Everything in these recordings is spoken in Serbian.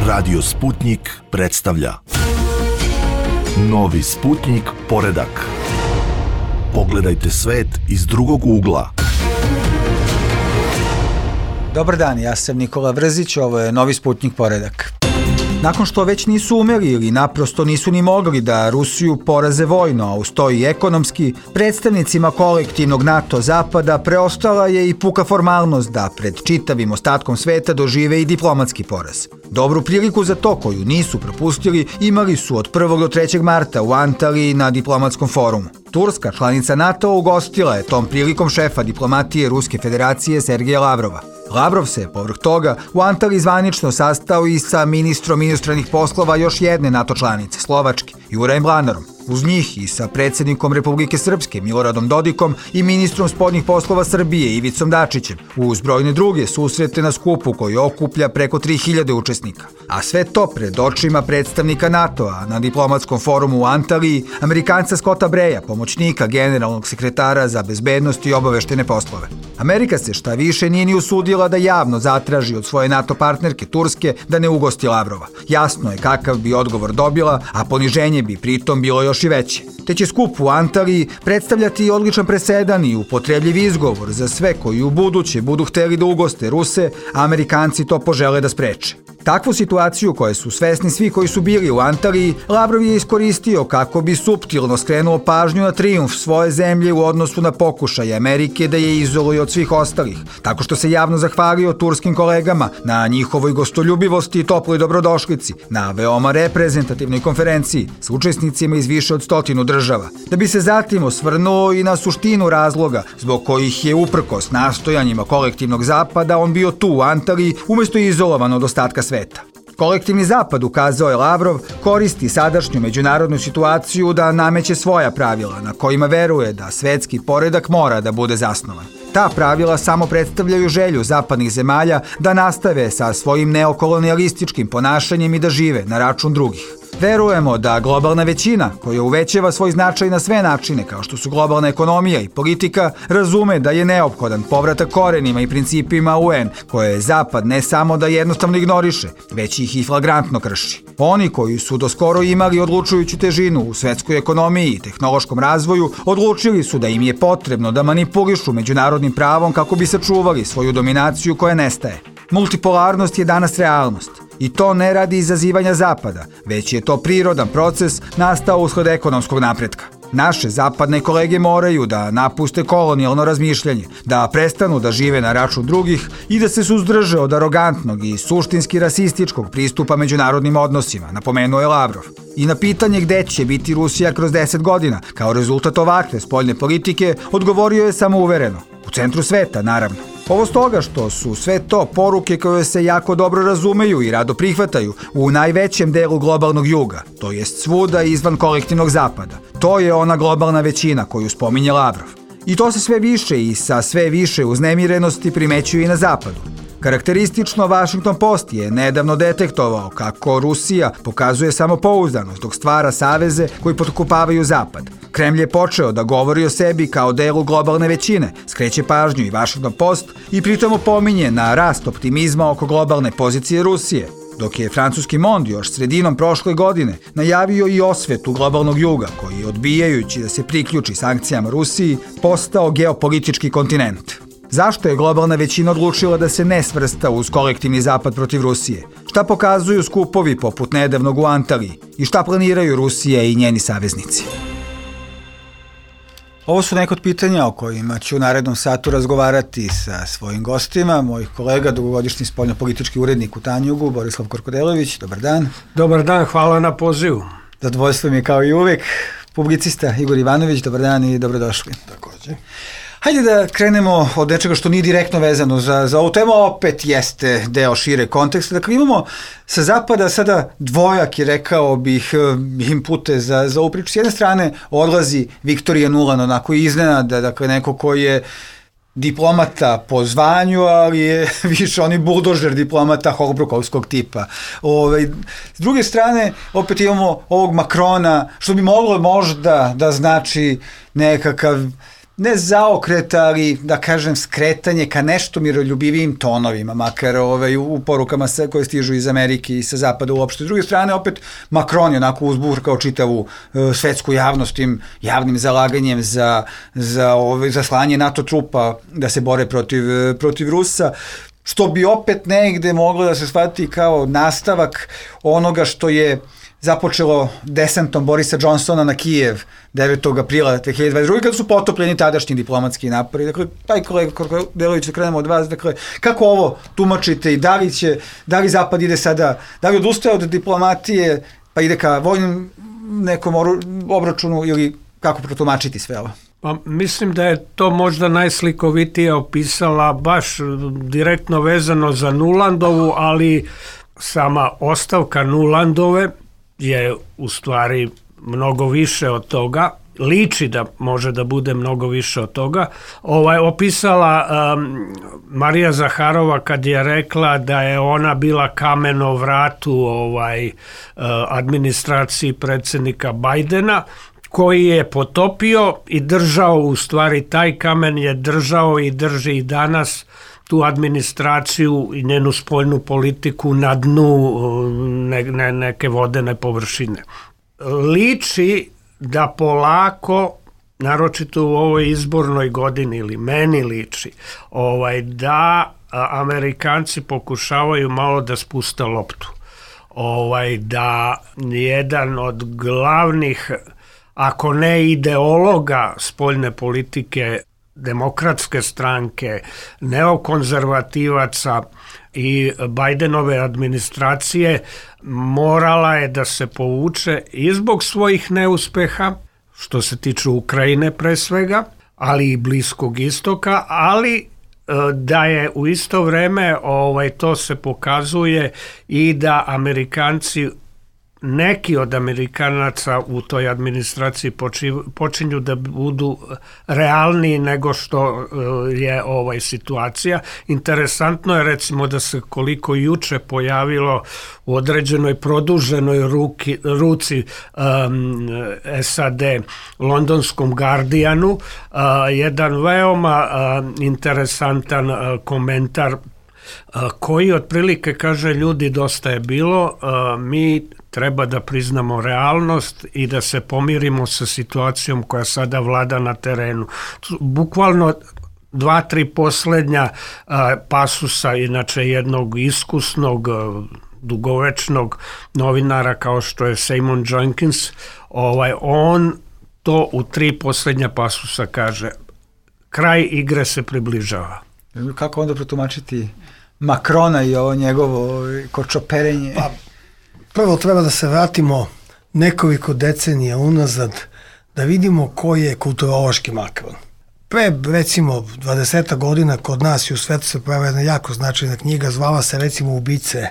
Radio Sputnik predstavlja Novi Sputnik poredak. Pogledajte svet iz drugog ugla. Dobar dan, ja sam Nikola Vrzić, ovo je Novi Sputnik poredak. Nakon što već nisu umeli ili naprosto nisu ni mogli da Rusiju poraze vojno, a uz to i ekonomski, predstavnicima kolektivnog NATO zapada preostala je i puka formalnost da pred čitavim ostatkom sveta dožive i diplomatski poraz. Dobru priliku za to koju nisu propustili imali su od 1. do 3. marta u Antaliji na diplomatskom forumu. Turska, članica NATO, ugostila je tom prilikom šefa diplomatije Ruske federacije Sergeja Lavrova. Lavrov se, povrh toga, u Antaliji zvanično sastao i sa ministrom inostranih poslova još jedne NATO članice, Slovačke, Jurajem Mlanarom. Uz njih i sa predsjednikom Republike Srpske, Miloradom Dodikom, i ministrom spoljnih poslova Srbije, Ivicom Dačićem, uz brojne druge susrete na skupu koji okuplja preko 3000 učesnika. A sve to pred očima predstavnika NATO-a na diplomatskom forumu u Antaliji, Amerikanca Scotta Breja, pomoćnika generalnog sekretara za bezbednost i obaveštene poslove. Amerika se šta više nije ni usudila da javno zatraži od svoje NATO partnerke Turske da ne ugosti Lavrova. Jasno je kakav bi odgovor dobila, a poniženje bi pritom bilo još i veće. Te će skup u Antaliji predstavljati odličan presedan i upotrebljiv izgovor za sve koji u buduće budu hteli da ugoste Ruse, a Amerikanci to požele da spreče. Takvu situaciju, koje su svesni svi koji su bili u Antaliji, Lavrov je iskoristio kako bi suptilno skrenuo pažnju na trijumf svoje zemlje u odnosu na pokušaj Amerike da je izoluje od svih ostalih, tako što se javno zahvalio turskim kolegama na njihovoj gostoljubivosti i toploj dobrodošlici, na veoma reprezentativnoj konferenciji s učesnicima iz više od 100 država, da bi se zatim osvrnuo i na suštinu razloga zbog kojih je uprkos nastojanjima kolektivnog zapada on bio tu u Antaliji umesto izolovan od ostatka sveta. Kolektivni zapad, ukazao je Lavrov, koristi sadašnju međunarodnu situaciju da nameće svoja pravila na kojima veruje da svetski poredak mora da bude zasnovan. Ta pravila samo predstavljaju želju zapadnih zemalja da nastave sa svojim neokolonijalističkim ponašanjem i da žive na račun drugih. Verujemo da globalna većina, koja uvećava svoj značaj na sve načine, kao što su globalna ekonomija i politika, razume da je neophodan povratak korenima i principima UN, koje Zapad ne samo da jednostavno ignoriše, već ih i flagrantno krši. Oni koji su doskoro imali odlučujuću težinu u svetskoj ekonomiji i tehnološkom razvoju, odlučili su da im je potrebno da manipulišu međunarodnim pravom kako bi sačuvali svoju dominaciju koja nestaje. Multipolarnost je danas realnost. I to ne radi izazivanja Zapada, već je to prirodan proces nastao usled ekonomskog napretka. Naše zapadne kolege moraju da napuste kolonijalno razmišljanje, da prestanu da žive na račun drugih i da se suzdrže od arogantnog i suštinski rasističkog pristupa međunarodnim odnosima, napomenuo je Lavrov. I na pitanje gde će biti Rusija kroz 10 godina, kao rezultat ovakve spoljne politike, odgovorio je samouvereno. U centru sveta, naravno. Ovo stoga što su sve to poruke koje se jako dobro razumeju i rado prihvataju u najvećem delu globalnog juga, to jest svuda izvan kolektivnog zapada. To je ona globalna većina koju spominje Lavrov. I to se sve više i sa sve više uznemirenosti primećuje i na zapadu. Karakteristično, Washington Post je nedavno detektovao kako Rusija pokazuje samopouzdanost dok stvara saveze koji potkopavaju Zapad. Kremlj je počeo da govori o sebi kao delu globalne većine, skreće pažnju i Washington Post i pritom opominje na rast optimizma oko globalne pozicije Rusije, dok je francuski Monde još sredinom prošle godine najavio i osvetu globalnog juga koji, odbijajući da se priključi sankcijama Rusiji, postao geopolitički kontinent. Zašto je globalna većina odlučila da se ne svrsta uz kolektivni zapad protiv Rusije? Šta pokazuju skupovi poput nedavnog u Antaliji? I šta planiraju Rusija i njeni saveznici? Ovo su neka od pitanja o kojima ću u narednom satu razgovarati sa svojim gostima, mojih kolega, dugogodišnji spoljnopolitički urednik u Tanjugu, Borislav Korkodelević. Dobar dan. Dobar dan, hvala na pozivu. Zadovoljstvo mi je kao i uvek. Publicista Igor Ivanović, dobar dan i dobrodošli. Takođe. Hajde da krenemo od nečega što nije direktno vezano za ovu temu, opet jeste deo šire konteksta. Dakle, imamo sa zapada sada dvojak, rekao bih, impute za ovu priču. S jedne strane odlazi Viktorija Nuland, onako iznenada, dakle neko koji je diplomata po zvanju, ali je više oni buldožer diplomata Holbrukovskog tipa. S druge strane, opet imamo ovog Makrona, što bi moglo možda da znači nekakav ne zaokreta, ali da kažem skretanje ka nešto miroljubivijim tonovima, makar u porukama koje stižu iz Amerike i sa zapada uopšte. S druge strane, opet, Macron je onako uzburkao čitavu svetsku javnost tim javnim zalaganjem za slanje NATO trupa da se bore protiv Rusa, što bi opet negde moglo da se shvati kao nastavak onoga što je započelo desantom Borisa Johnsona na Kijev 9. aprila 2022. kada su potopljeni tadašnji diplomatski napori. Dakle, taj kolega Kordelović, da krenemo od vas, dakle, kako ovo tumačite i da li Zapad ide sada, da li odustaje od diplomatije pa ide ka vojnom nekom obračunu ili kako protumačiti sve ovo? Pa mislim da je to možda najslikovitije opisala baš direktno vezano za Nulandovu, ali sama ostavka Nulandove je u stvari mnogo više od toga, liči da može da bude mnogo više od toga. Opisala Marija Zaharova kad je rekla da je ona bila kamen o vratu administraciji predsjednika Bajdena, koji je potopio i držao, u stvari taj kamen je držao i drži i danas tu administraciju i njenu spoljnu politiku na dnu neke vodene površine. Liči da polako, naročito u ovoj izbornoj godini, ili meni liči, da Amerikanci pokušavaju malo da spuste loptu. Da jedan od glavnih, ako ne ideologa spoljne politike Demokratske stranke, neokonzervativaca i Bajdenove administracije, morala je da se povuče i zbog svojih neuspeha, što se tiče Ukrajine pre svega, ali i Bliskog istoka, ali da je u isto vreme to se pokazuje i da Amerikanci, neki od Amerikanaca u toj administraciji počinju da budu realniji nego što je situacija. Interesantno je recimo da se koliko juče pojavilo u određenoj produženoj ruci SAD londonskom Guardianu jedan veoma interesantan komentar koji otprilike kaže: ljudi, dosta je bilo, mi treba da priznamo realnost i da se pomirimo sa situacijom koja sada vlada na terenu. Bukvalno 2-3 poslednja pasusa, inače jednog iskusnog, dugovečnog novinara kao što je Simon Jenkins, on to u 3 poslednja pasusa kaže: kraj igre se približava. Kako onda protumačiti Macrona i ovo njegovo kočoperenje? Pa, prvo treba da se vratimo nekoliko decenija unazad da vidimo koji je kulturološki Macron. Pre, recimo, 20 godina kod nas i u svetu se pravila jedna jako značajna knjiga, zvala se recimo Ubice,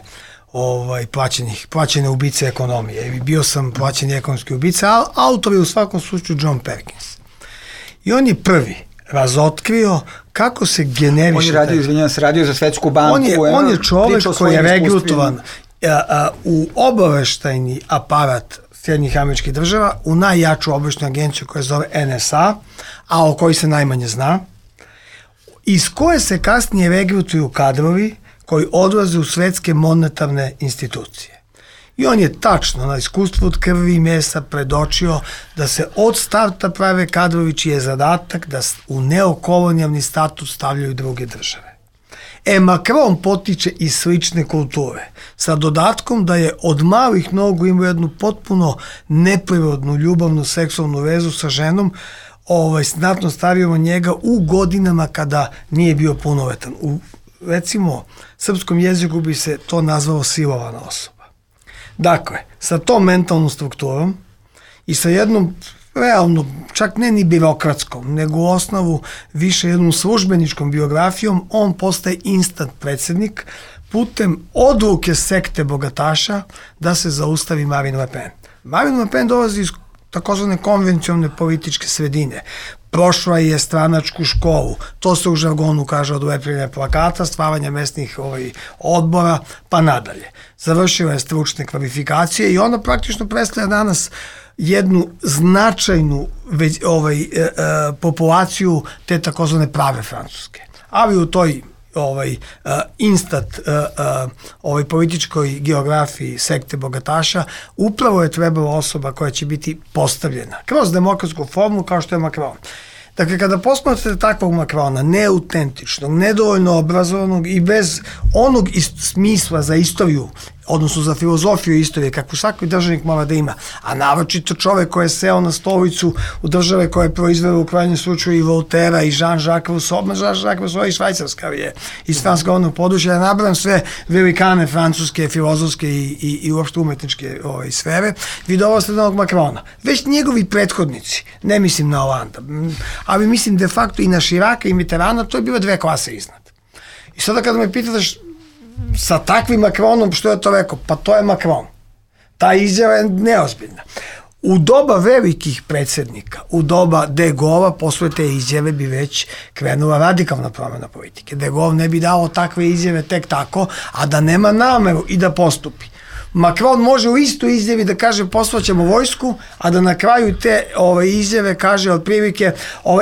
plaćene ubice ekonomije. Bio sam plaćeni ekonomski ubice, a autor je u svakom slučaju John Perkins. I on je prvi razotkrio kako se generiše... On je radio za Svetsku banku. On je čovek koji je regrutovan u obaveštajni aparat Sjedinjenih Američkih Država, u najjaču obaveštajnu agenciju koja se zove NSA, a o kojoj se najmanje zna, iz koje se kasnije regrutuju kadrovi koji odlaze u svetske monetarne institucije. I on je tačno na iskustvu od krvi i mesa predočio da se od starta prave kadrovi čiji je zadatak da u neokolonijalni status stavljaju druge države. Macron potiče iz slične kulture, sa dodatkom da je od malih nogu imao jednu potpuno neprirodnu, ljubavnu, seksualnu vezu sa ženom, znatno starijom od njega u godinama kada nije bio punoletan. U, recimo, srpskom jeziku bi se to nazvalo silovana osoba. Dakle, sa tom mentalnom strukturom i sa jednom realno, čak ne ni birokratskom, nego u osnovu više jednom službeničkom biografijom, on postaje instant predsjednik putem odluke sekte bogataša da se zaustavi Marine Le Pen. Marine Le Pen dolazi iz takozvane konvencionalne političke sredine. Prošla je stranačku školu, to se u žargonu kaže od lepljenja plakata, stvaranja mesnih odbora, pa nadalje. Završila je stručne kvalifikacije i ona praktično predstavlja danas jednu značajnu populaciju te takozvane prave Francuske. Ali u toj političkoj geografiji sekte bogataša upravo je trebala osoba koja će biti postavljena kroz demokratsku formu kao što je Macron. Dakle, kada posmatrate takvog Macrona, neautentičnog, nedovoljno obrazovanog i bez onog smisla za istoriju, odnosno za filozofiju istorije, kakvu svaki državnik mora da ima, a naročito čovek koji je seo na stolicu u države koje je proizveo u krajnjem slučaju i Voltera i Jean-Jacques Rousseau, Jean-Jacques Rousseau i švajcarska je iz franskogovornog područja, ja nabrajam sve velikane francuske, filozofske i uopšte umetničke sfere, vi dolazite do onog Macrona. Već njegovi prethodnici, ne mislim na Hollanda, ali mislim de facto i na Chiraca i Mitterranda, to je bilo 2 klase iznad. I sada kada me pitate sa takvim Macronom, što je to rekao? Pa to je Macron. Ta izjava je neozbiljna. U doba velikih predsjednika, u doba De Gaulle, posle te izjave bi već krenula radikalna promjena politike. De Gaulle ne bi dao takve izjave tek tako, a da nema nameru i da postupi. Macron može u istoj izjavi da kaže poslaćemo vojsku, a da na kraju te izjave kaže otprilike,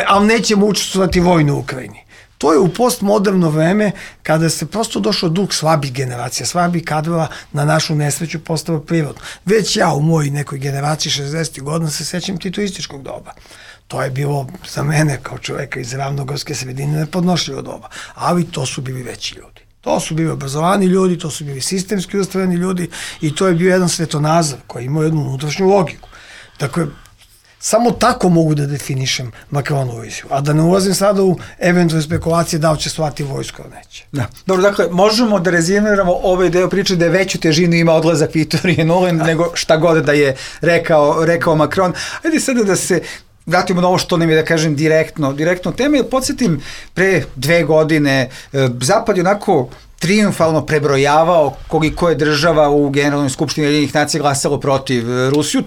ali nećemo učestvovati vojno u Ukrajini. To je u postmoderno vreme kada se prosto došao duh slabih generacija, slabih kadrova na našu nesreću postao prirodno. Već ja u mojoj nekoj generaciji 60. godina se sećam titoističkog doba. To je bilo za mene kao čoveka iz ravnogorske sredine nepodnošljivo doba, ali to su bili veći ljudi. To su bili obrazovani ljudi, to su bili sistemski ustrojeni ljudi i to je bio jedan svetonazor koji ima jednu unutrašnju logiku. Dakle, samo tako mogu da definišem Macronovu viziju, a da ne ulazim sada u eventualne spekulacije da li će slati vojsku ili neće. Da. Dobro, dakle, možemo da rezimiramo ovaj deo priče da je veću težinu ima odlazak Viktorije Nuland nego šta god da je rekao Macron. Ajde sada da se vratimo na ovo što nam je, da kažem, direktno teme. Podsjetim, pre 2 godine Zapad je onako triumfalno prebrojavao koliko je država u Generalnoj skupštini Ujedinjenih nacija glasalo protiv Rusiju.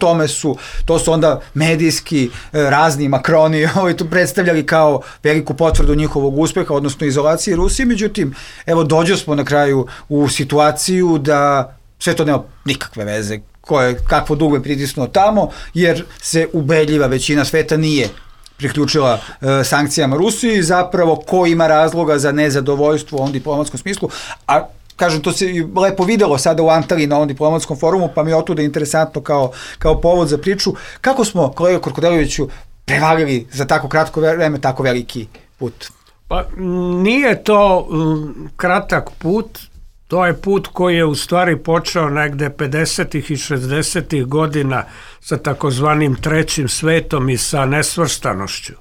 To su onda medijski razni Macroni tu predstavljali kao veliku potvrdu njihovog uspeha, odnosno izolacije Rusije. Međutim, evo dođo smo na kraju u situaciju da sve to nema nikakve veze kakvo dugme pritisnuo tamo, jer se ubedljiva većina sveta nije priključila sankcijama Rusiji, zapravo ko ima razloga za nezadovoljstvo u ovom diplomatskom smislu, a kažem, to se lepo videlo sada u Antaliji na ovom diplomatskom forumu, pa mi je otuda interesantno kao povod za priču. Kako smo, kolega Korkodeloviću, prevalili za tako kratko vreme tako veliki put? Pa nije to kratak put, to je put koji je u stvari počeo negde 50. i 60. godina sa takozvanim trećim svetom i sa nesvrstanošću.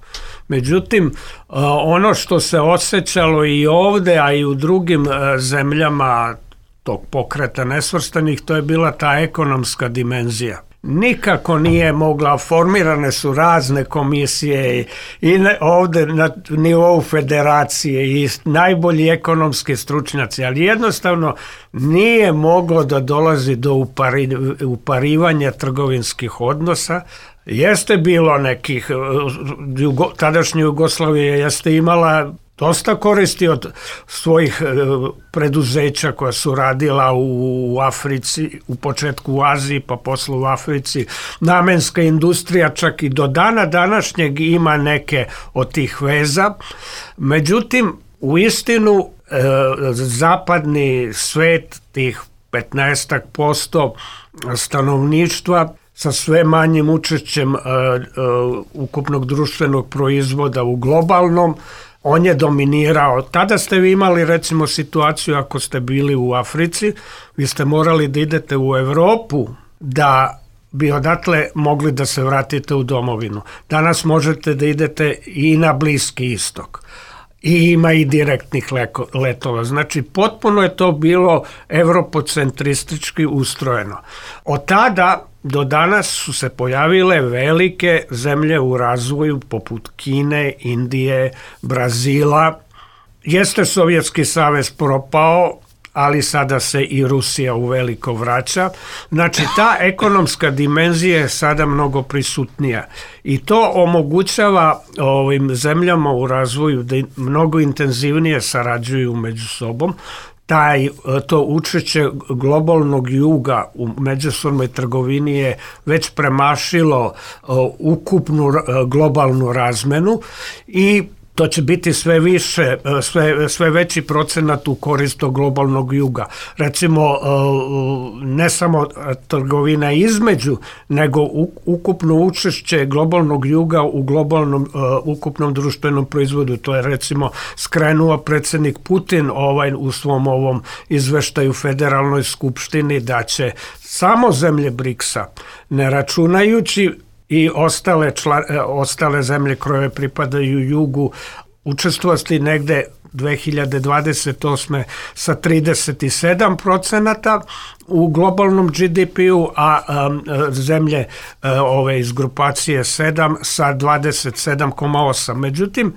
Međutim, ono što se osjećalo i ovde, a i u drugim zemljama tog pokreta nesvrstanih, to je bila ta ekonomska dimenzija. Nikako nije mogla, formirane su razne komisije i ovde na nivou federacije i najbolji ekonomski stručnjaci, ali jednostavno nije moglo da dolazi do uparivanja trgovinskih odnosa. Jeste bilo nekih, tadašnja Jugoslavija jeste imala dosta koristi od svojih preduzeća koja su radila u Africi, u početku u Aziji, pa posle u Africi. Namenska industrija čak i do dana današnjeg ima neke od tih veza. Međutim, u istinu, zapadni svet, tih 15% stanovništva, sa sve manjim učešćem ukupnog društvenog proizvoda u globalnom, on je dominirao. Tada ste vi imali recimo situaciju, ako ste bili u Africi, vi ste morali da idete u Evropu da bi odatle mogli da se vratite u domovinu. Danas možete da idete i na Bliski istok. I ima i direktnih letova. Znači, potpuno je to bilo evropocentristički ustrojeno. Od tada do danas su se pojavile velike zemlje u razvoju poput Kine, Indije, Brazila. Jeste Sovjetski savez propao, ali sada se i Rusija uveliko vraća. Znači, ta ekonomska dimenzija je sada mnogo prisutnija i to omogućava ovim zemljama u razvoju da mnogo intenzivnije sarađuju među sobom. to učešće globalnog juga u međusobnoj trgovini je već premašilo ukupnu globalnu razmenu i to će biti sve više, sve veći procenat u korist globalnog juga. Recimo, ne samo trgovina između, nego ukupno učešće globalnog juga u globalnom ukupnom društvenom proizvodu. To je recimo skrenuo predsjednik Putin u svom ovom izveštaju Federalnoj skupštini da će samo zemlje BRICS-a, ne računajući i ostale zemlje koje pripadaju jugu, učestvovati negde 2028. sa 37% u globalnom GDP-u, a zemlje iz grupacije 7 sa 27,8%. Međutim,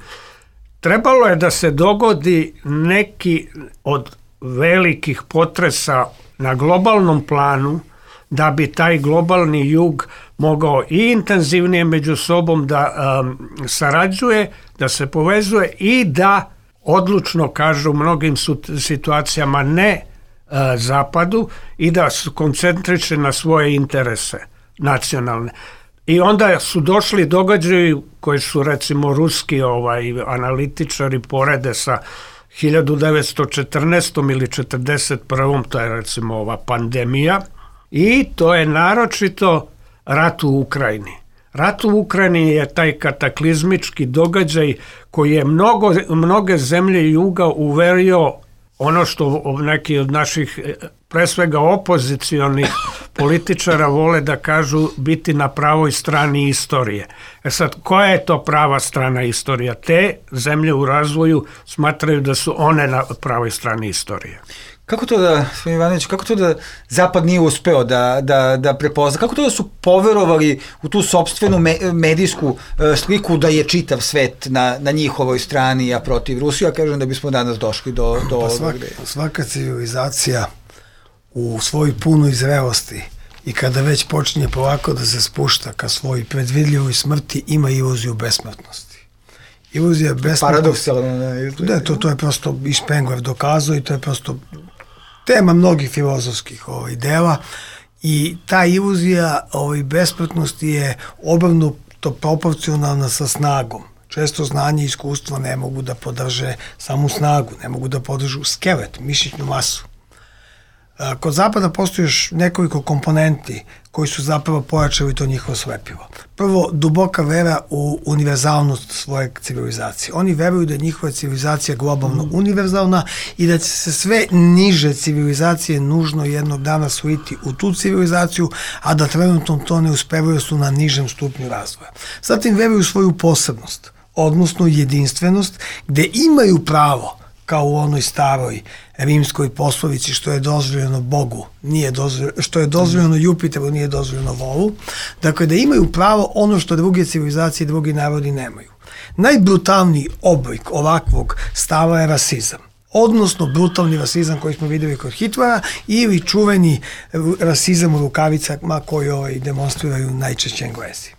trebalo je da se dogodi neki od velikih potresa na globalnom planu da bi taj globalni jug mogao i intenzivnije među sobom da sarađuje, da se povezuje i da odlučno kažu u mnogim situacijama ne zapadu i da se koncentriše na svoje interese nacionalne. I onda su došli događaji koji su recimo ruski analitičari porede sa 1914. ili 1941. to je recimo ova pandemija i to je naročito rat u Ukrajini. Rat u Ukrajini je taj kataklizmički događaj koji je mnoge zemlje juga uverio ono što neki od naših, pre svega opozicionih političara vole da kažu biti na pravoj strani istorije. Sad, koja je to prava strana istorija? Te zemlje u razvoju smatraju da su one na pravoj strani istorije. Kako to da, gospodin Ivanović, kako to da Zapad nije uspeo da prepozna? Kako to da su poverovali u tu sopstvenu medijsku sliku da je čitav svet na njihovoj strani, a protiv Rusije? Ja kažem da bismo danas došli do svaka civilizacija u svojoj punoj zrelosti i kada već počinje polako da se spušta ka svojoj predvidljivoj smrti, ima iluziju besmrtnosti. Iluzija besmrtnosti. Paradoksalno. Da, to je prosto i Spengler dokazao i to je prosto tema mnogih filozofskih dela i ta iluzija besmrtnosti je obrnuto proporcionalna sa snagom. Često znanje i iskustvo ne mogu da podrže samu snagu, ne mogu da podržu skelet, mišićnu masu. Kod Zapada postoji još nekoliko komponenti koji su zapravo pojačali to njihovo slepivo. Prvo, duboka vera u univerzalnost svoje civilizacije. Oni veruju da je njihova civilizacija globalno univerzalna i da će se sve niže civilizacije nužno jednog dana sliti u tu civilizaciju, a da trenutno to ne uspevaju su na nižem stupnju razvoja. Zatim veruju svoju posebnost, odnosno jedinstvenost, gde imaju pravo kao u onoj staroj rimskoj poslovici što je dozvoljeno Bogu, što je dozvoljeno Jupiteru, nije dozvoljeno volu. Dakle, da imaju pravo ono što druge civilizacije i drugi narodi nemaju. Najbrutalniji oblik ovakvog stava je rasizam. Odnosno brutalni rasizam koji smo videli kod Hitlera ili čuveni rasizam u rukavicama koji demonstriraju najčešće Englezi.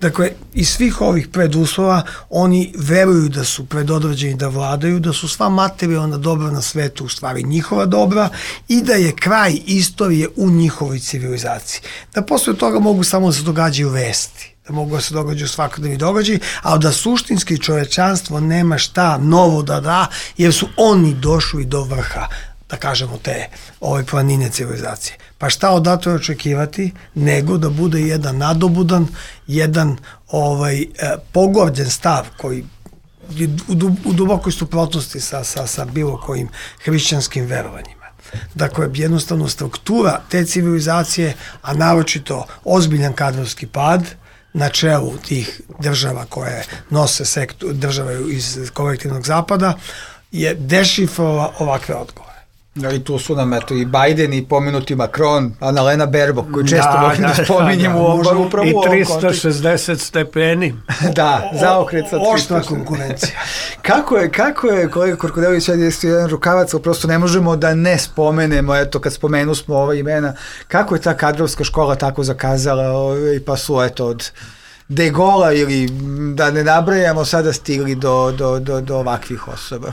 Dakle, iz svih ovih preduslova oni veruju da su predodređeni da vladaju, da su sva materijalna dobra na svetu u stvari njihova dobra i da je kraj istorije u njihovoj civilizaciji. Da posle toga mogu samo da se događaju vesti, da mogu da se događaju svakodnevni događaji, ali da suštinski čovečanstvo nema šta novo da da, jer su oni došli do vrha, da kažemo, te ove planine civilizacije. Pa šta odatle očekivati, nego da bude jedan nadobudan, jedan pogorđen stav koji je u dubokoj suprotnosti sa bilo kojim hrišćanskim verovanjima. Dakle, jednostavno struktura te civilizacije, a naročito ozbiljan kadrovski pad na čelu tih država koje nose države iz kolektivnog zapada, je dešifrova ovakve odgovore. I tu su nam i Biden i pomenuti Macron, Annalena Baerbock, koju često volim da spominjemo upravo u ovom kontekstu. I 360 stepeni. Da, zaokret sa 360. Oštra konkurencija. Kako je, kolega Korkodelović, sad je jedan rukavac, ali prosto ne možemo da ne spomenemo, eto, kad spomenu smo ova imena, kako je ta kadrovska škola tako zakazala, pa su, eto, od De Gaulle ili da ne nabrajamo sada stigli do ovakvih osoba.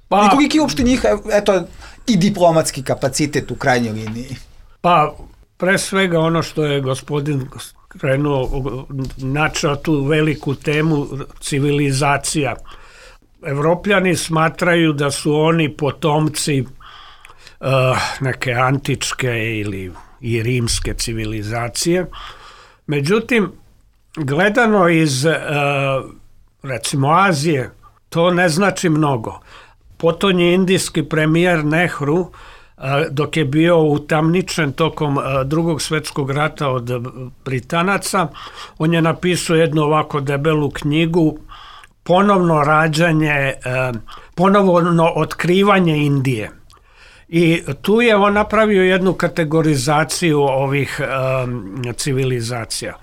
I koliki uopšte njih, eto, i diplomatski kapacitet u krajnjoj liniji? Pa, pre svega ono što je gospodin krenuo, načeo tu veliku temu civilizacija. Evropljani smatraju da su oni potomci neke antičke ili i rimske civilizacije. Međutim, gledano iz recimo Azije, to ne znači mnogo. Potonji indijski premijer Nehru, dok je bio utamničen tokom Drugog svjetskog rata od Britanaca, on je napisao jednu ovako debelu knjigu Ponovno rađanje, ponovno otkrivanje Indije. I tu je on napravio jednu kategorizaciju ovih civilizacija.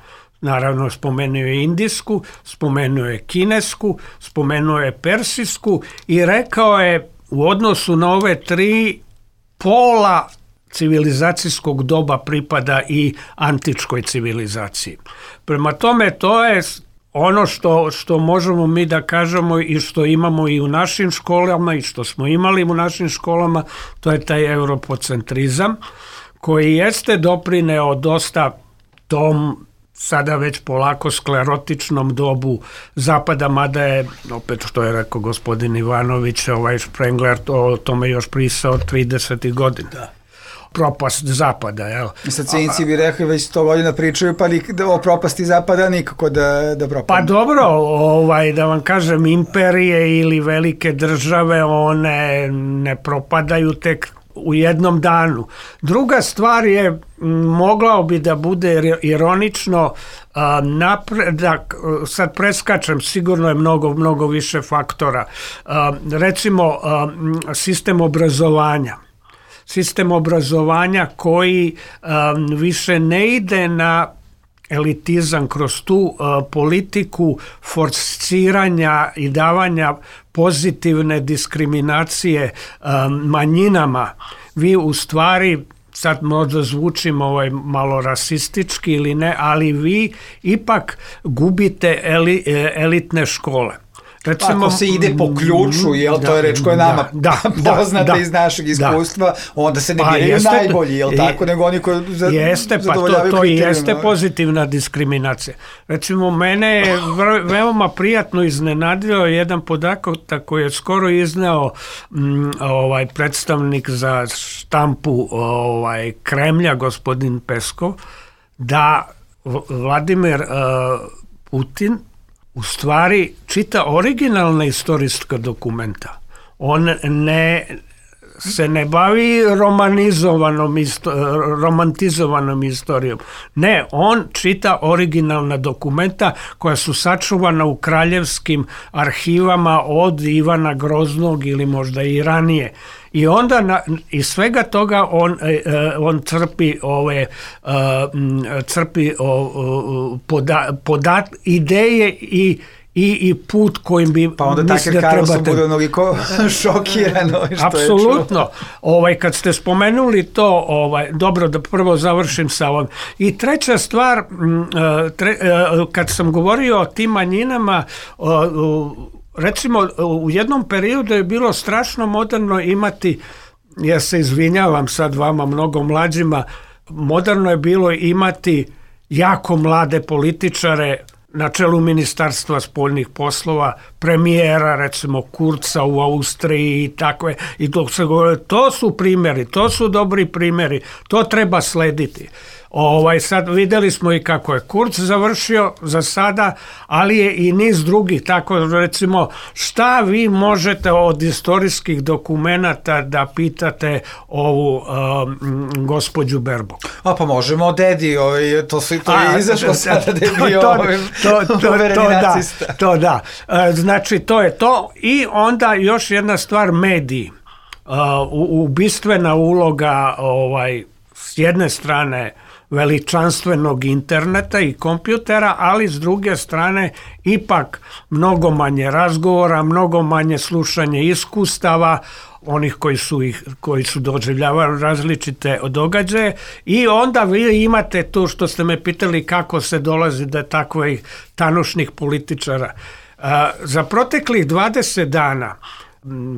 Naravno, spomenuo je indijsku, spomenuo je kinesku, spomenuo je persijsku i rekao je u odnosu na ove tri pola civilizacijskog doba pripada i antičkoj civilizaciji. Prema tome, to je ono što možemo mi da kažemo i što imamo i u našim školama i što smo imali u našim školama, to je taj europocentrizam koji jeste doprineo dosta tom sada već polako sklerotičnom dobu Zapada, mada je, opet što je rekao gospodin Ivanović, Sprengler o tome još pisao 30. godina. Da. Propast Zapada. Jel? Sad cinici bi rekli već 100 godina pričaju, pa o propasti Zapada nikako da propadne. Pa dobro, da vam kažem, imperije ili velike države, one ne propadaju tek u jednom danu. Druga stvar je, mogao bi da bude ironično, napredak, sad preskačem, sigurno je mnogo više faktora. Recimo, sistem obrazovanja. Sistem obrazovanja koji više ne ide na elitizam kroz tu politiku forsiranja i davanja pozitivne diskriminacije manjinama. Vi u stvari, sad možda zvučim malo rasistički ili ne, ali vi ipak gubite elitne škole. Recimo, ako se ide po ključu, to je reč koja je nama poznata iz našeg iskustva, onda se ne biraju najbolji, tako, nego oni koji zadovoljavaju to jeste pozitivna diskriminacija. Recimo, mene je veoma prijatno iznenadio jedan podatak koji je skoro izneo predstavnik za štampu Kremlja, gospodin Peskov, da Vladimir Putin u stvari čita originalna istorijska dokumenta. On se ne bavi romantizovanom istorijom. Ne, on čita originalna dokumenta koja su sačuvana u kraljevskim arhivama od Ivana Groznog ili možda i ranije. I onda iz svega toga on crpi ideje i put kojim bi pa onda Tucker Carlson bude onoliko šokirano što apsolutno. Kad ste spomenuli to, dobro da prvo završim sa ovom. I treća stvar, kad sam govorio o tim manjinama, recimo u jednom periodu je bilo strašno moderno imati, ja se izvinjavam sad vama mnogo mlađima, moderno je bilo imati jako mlade političare na čelu Ministarstva spoljnih poslova, premijera, recimo Kurza u Austriji i takve, i dok se govore, to su primjeri, to su dobri primjeri, to treba slediti. Sad videli smo i kako je Kurz završio za sada, ali je i niz drugih, tako recimo šta vi možete od istorijskih dokumenata da pitate ovu gospođu Berbok? Pa možemo o dedi, to je izašlo sada da je bio uvereni nacista. To da, znači to je to i onda još jedna stvar, mediji. Ubistvena uloga s jedne strane veličanstvenog interneta i kompjutera, ali s druge strane ipak mnogo manje razgovora, mnogo manje slušanje iskustava onih koji su doživljavali različite događaje i onda vi imate to što ste me pitali kako se dolazi do takvih tanušnih političara. Za proteklih 20 dana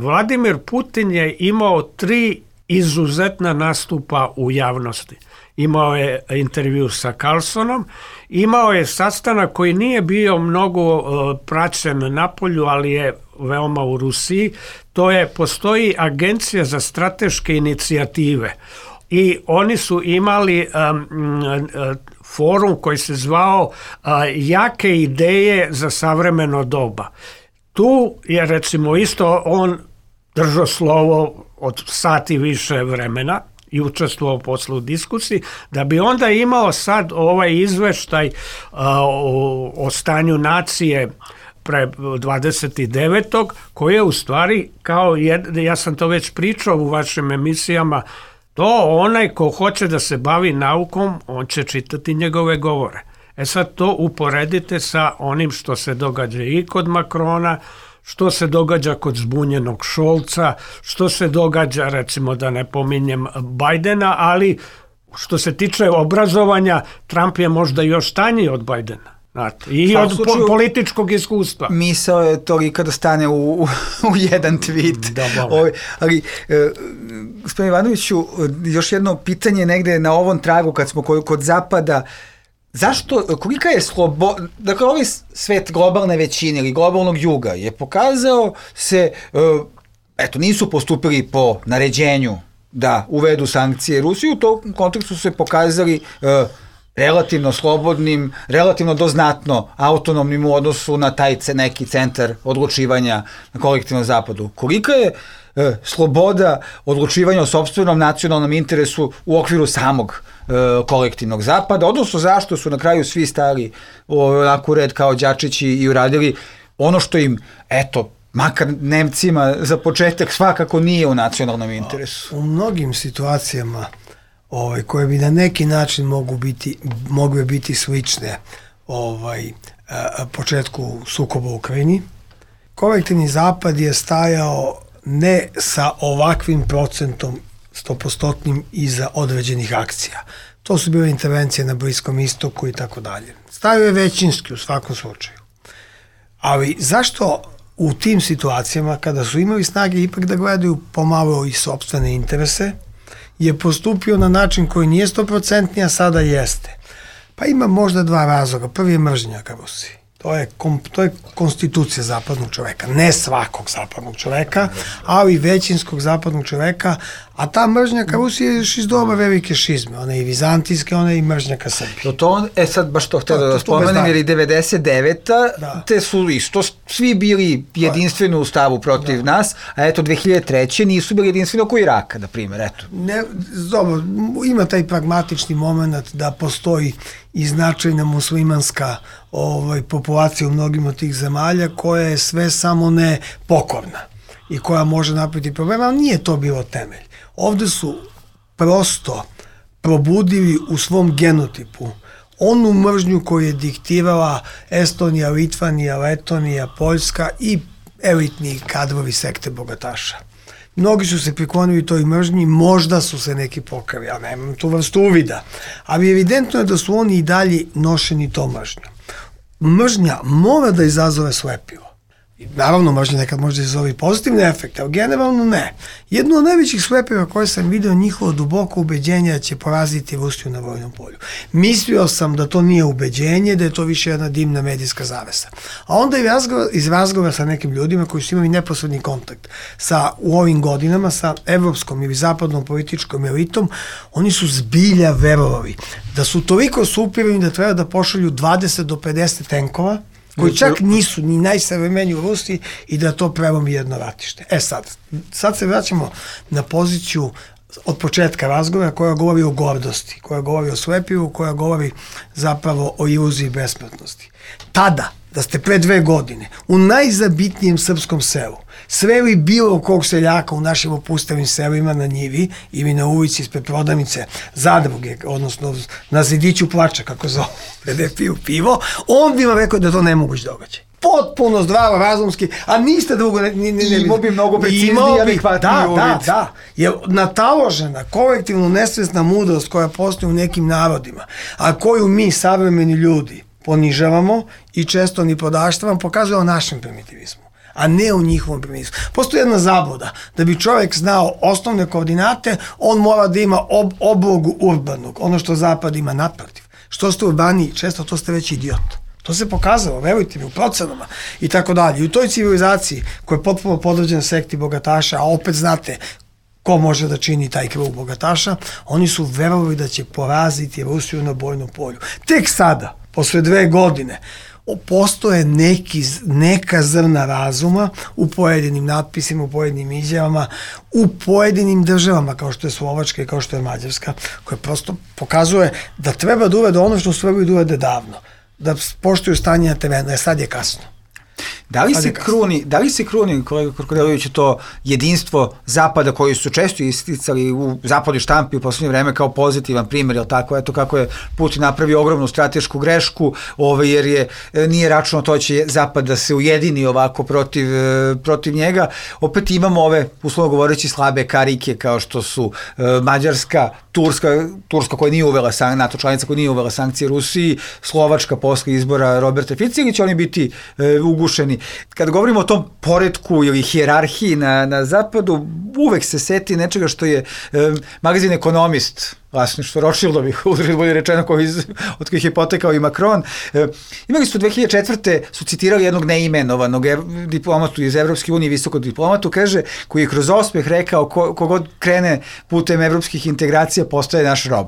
Vladimir Putin je imao 3 izuzetna nastupa u javnosti. Imao je intervju sa Carlsonom, imao je sastanak koji nije bio mnogo praćen napolju, ali je veoma u Rusiji. Postoji Agencija za strateške inicijative i oni su imali forum koji se zvao Jake ideje za savremeno doba. Tu je recimo isto on držao slovo od sati više vremena i učestvovao posle u diskusiji, da bi onda imao sad ovaj izveštaj o stanju nacije pre 29. koji je u stvari kao, ja sam to već pričao u vašim emisijama, to onaj ko hoće da se bavi naukom, on će čitati njegove govore. Sad to uporedite sa onim što se događa i kod Makrona, što se događa kod zbunjenog Šolca, što se događa, recimo da ne pominjem Bajdena, ali što se tiče obrazovanja, Trump je možda još tanji od Bajdena. I od političkog iskustva. Misao je tolika da stane u jedan tweet. Ali, gospodin Ivanoviću, još jedno pitanje negde na ovom tragu kad smo kod Zapada. Zašto, kolika je sloboda, dakle ovaj svet globalne većine ili globalnog juga je pokazao se, nisu postupili po naređenju da uvedu sankcije Rusiji, u tom kontekstu su se pokazali relativno slobodnim, relativno doznatno autonomnim u odnosu na taj neki centar odlučivanja na kolektivnom zapadu. Kolika je sloboda odlučivanja o sopstvenom nacionalnom interesu u okviru samog kolektivnog zapada, odnosno zašto su na kraju svi stali onako u red kao đačići i uradili ono što im, makar Nemcima za početak svakako nije u nacionalnom interesu. U mnogim situacijama koje bi na neki način mogle biti slične početku sukoba u Ukrajini, kolektivni zapad je stajao ne sa ovakvim procentom 100% iza određenih akcija. To su bile intervencije na Bliskom istoku i tako dalje. Stajao je većinski u svakom slučaju. Ali zašto u tim situacijama, kada su imali snage ipak da gledaju pomalo i sopstvene interese, je postupio na način koji nije 100%, a sada jeste? Pa ima možda dva razloga. Prvi je mržnja ka Rusiji. To je konstitucija zapadnog čoveka. Ne svakog zapadnog čoveka, ali većinskog zapadnog čoveka, a ta mržnja ka Rusiji je još iz doba velike šizme. Ona je i vizantijska, ona je i mržnja ka Srbiji. Sad baš to htio da spomenem, jer i 99. te su isto svi bili jedinstveno u stavu protiv nas, a 2003. nisu bili jedinstveno oko Iraka, na primjer. Dobro, ima taj pragmatični moment da postoji i značajna muslimanska populacija u mnogim od tih zemalja koja je sve samo ne pokorna i koja može napraviti problema, ali nije to bilo temelj. Ovde su prosto probudili u svom genotipu onu mržnju koju je diktirala Estonija, Litvanija, Letonija, Poljska i elitni kadrovi sekte bogataša. Mnogi su se priklonili toj mržnji, možda su se neki pokali, ja nemam tu vrstu uvida, ali evidentno je da su oni i dalje nošeni tom mržnjom. Mržnja mora da izazove slepilo. Naravno, mržnja nekad može da izazove pozitivne efekte, ali generalno ne. Jedno od najvećih slepila koje sam vidio, njihovo duboko ubeđenje da će poraziti Rusiju na vojnom polju. Mislio sam da to nije ubeđenje, da je to više jedna dimna medijska zavesa. A onda iz razgovora sa nekim ljudima koji su imali neposredni kontakt u ovim godinama sa evropskom ili zapadnom političkom elitom, oni su zbilja verovali da su toliko superiorni da treba da pošalju 20 do 50 tenkova, koji čak nisu ni najsavremeniji u Rusiji i da to prelomi jedno ratište. Sad se vraćamo na poziciju od početka razgovora koja govori o gordosti, koja govori o slepivu, koja govori zapravo o iluziji besplatnosti. Tada, da ste pre 2 godine u najzabitnijem srpskom selu sveli bilo kog seljaka u našim opustavim selima na njivi ili na ulici ispred prodavnice zadruge, odnosno na zidiću plača, kako zove, gde piju pivo, on bi vam rekao da to nemoguć događaj. Potpuno zdravo, razumski, a niste drugo... Imao bi mnogo precizniji, adekvatniji uvid. Da. Je nataložena, kolektivno nesvesna mudrost koja postoji u nekim narodima, a koju mi, savremeni ljudi, ponižavamo i često ni podaštavamo, pokazuje o našem primitivizmu. a ne u njihovom primislu. Postoji jedna zabluda. Da bi čovjek znao osnovne koordinate, on mora da ima oblogu urbanog, ono što zapad ima naprotiv. Što ste urbaniji, često to ste već idiot. To se pokazalo, verujte mi, u procenama i tako dalje. I u toj civilizaciji koja je potpuno podređena sekti bogataša, a opet znate ko može da čini taj krug bogataša, oni su verovali da će poraziti Rusiju na bojnom polju. Tek sada, posle 2 godine, postoje neka zrna razuma u pojedinim natpisima, u pojedinim izjavama, u pojedinim državama kao što je Slovačka i kao što je Mađarska, koja prosto pokazuje da treba da uvede ono što su trebali da uvede davno, da poštuju stanje na terenu, jer sad je kasno. Da li se kruni, kolega Korkodelović, to jedinstvo Zapada koji su često isticali u zapadnoj štampi u poslednje vreme kao pozitivan primjer, jel tako? Eto kako je Putin napravio ogromnu stratešku grešku, jer nije računao to će Zapad da se ujedini ovako protiv njega. Opet imamo ove, uslovno govoreći, slabe karike kao što su Mađarska, Turska koja nije uvela NATO članica koja nije uvela sankcije Rusiji, Slovačka posle izbora Roberta Fica, ili će oni biti ugušeni. Kada govorimo o tom poretku ili hijerarhiji na zapadu, uvek se seti nečega što je magazin Ekonomist, vlasništvo Rothschildovih, bolje rečeno, od kojih je potekao i Macron. Imali su 2004. su citirali jednog neimenovanog diplomatu iz Evropske unije, visokog diplomatu, kaže, koji je kroz osmeh rekao kogod krene putem evropskih integracija postaje naš rob.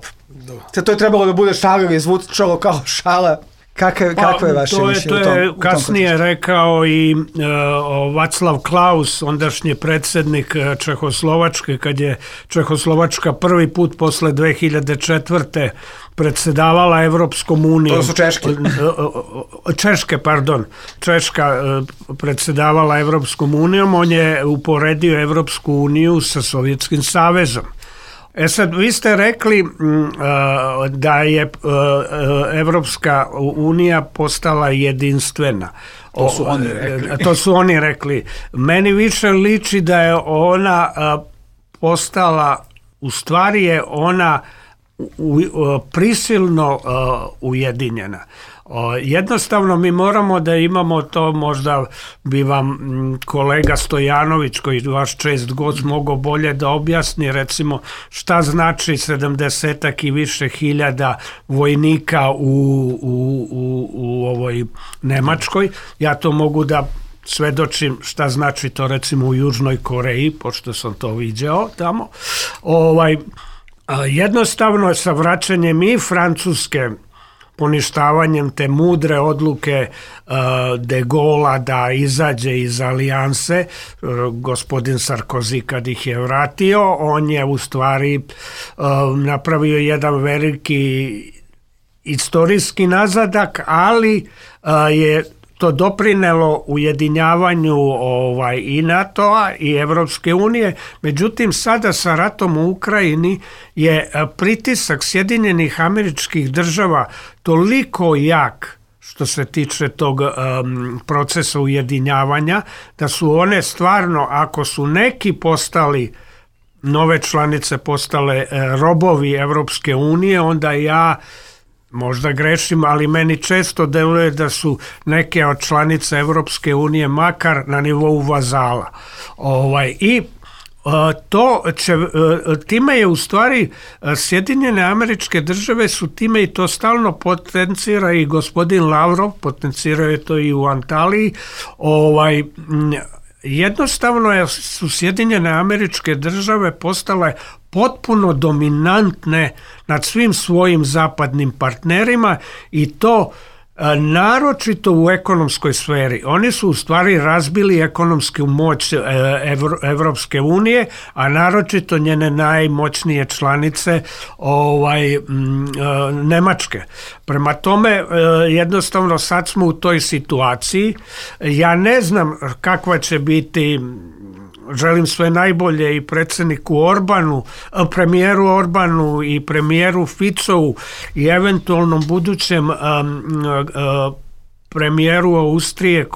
Sad to je trebalo da bude šala ili zvučalo kao šala. Kako je vaše mišljenje? To je kasnije rekao i Václav Klaus, ondašnji predsjednik Čehoslovačke, kad je Čehoslovačka prvi put posle 2004. predsedavala Evropskom unijom. To su Češka predsedavala Evropskom unijom, on je uporedio Evropsku uniju sa Sovjetskim savezom. Sad, vi ste rekli da je Evropska unija postala jedinstvena. To su oni rekli. Meni više liči da je ona postala, u stvari je ona prisilno ujedinjena. Jednostavno mi moramo da imamo to, možda bi vam kolega Stojanović, koji vaš čest gost, mogao bolje da objasni, recimo šta znači 70-ak i više hiljada vojnika u ovoj Nemačkoj. Ja to mogu da svedočim šta znači to recimo u Južnoj Koreji, pošto sam to viđao tamo. Jednostavno sa vraćanjem i Francuske, poništavanjem te mudre odluke de Gaulle'a da izađe iz alijanse, gospodin Sarkozy kad ih je vratio, on je u stvari napravio jedan veliki istorijski nazadak, ali je to doprinelo ujedinjavanju i NATO-a i Evropske unije. Međutim, sada sa ratom u Ukrajini je pritisak Sjedinjenih Američkih Država toliko jak što se tiče tog procesa ujedinjavanja, da su one stvarno, ako su neki postali, nove članice postale robovi Evropske unije, onda ja možda grešim, ali meni često deluje da su neke od članica Evropske unije makar na nivou vazala. I time je u stvari Sjedinjene Američke Države su time, i to stalno potencira i gospodin Lavrov, potencirao je to i u Antaliji, jednostavno su Sjedinjene Američke Države postale potpuno dominantne nad svim svojim zapadnim partnerima i to naročito u ekonomskoj sferi. Oni su u stvari razbili ekonomsku moć Evropske unije, a naročito njene najmoćnije članice Nemačke. Prema tome, jednostavno sad smo u toj situaciji. Ja ne znam kakva će biti, želim sve najbolje i predsjedniku Orbanu, premijeru Orbanu i premijeru Ficovu i eventualnom budućem premijeru Austrije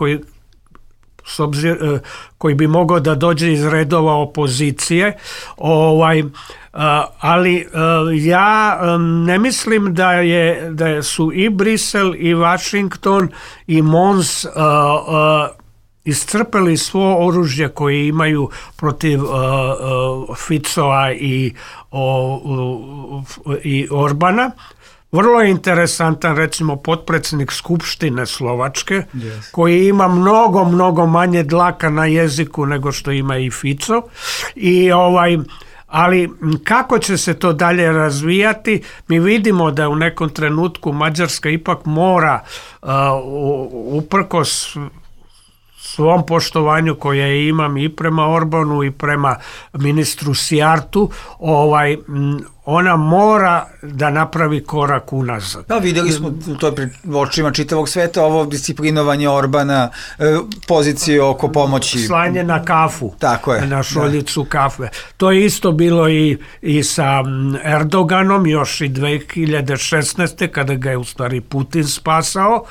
koji bi mogao da dođe iz redova opozicije, ali ja ne mislim da su i Brisel i Washington i Mons iscrpeli svo oružje koje imaju protiv Ficova i Orbana. Vrlo je interesantan, recimo, potpredsjednik Skupštine Slovačke, koji ima mnogo manje dlaka na jeziku nego što ima i Fico. Ali kako će se to dalje razvijati, mi vidimo da u nekom trenutku Mađarska ipak mora uprkos svom poštovanju koje imam i prema Orbanu i prema ministru Sijartu, ona mora da napravi korak unazad. Da, vidjeli smo u toj očima čitavog sveta ovo disciplinovanje Orbana, pozicije oko pomoći. Slanje na kafu, tako je, na šoljicu kafe. To je isto bilo i sa Erdoganom, još i 2016. kada ga je u stvari Putin spasao.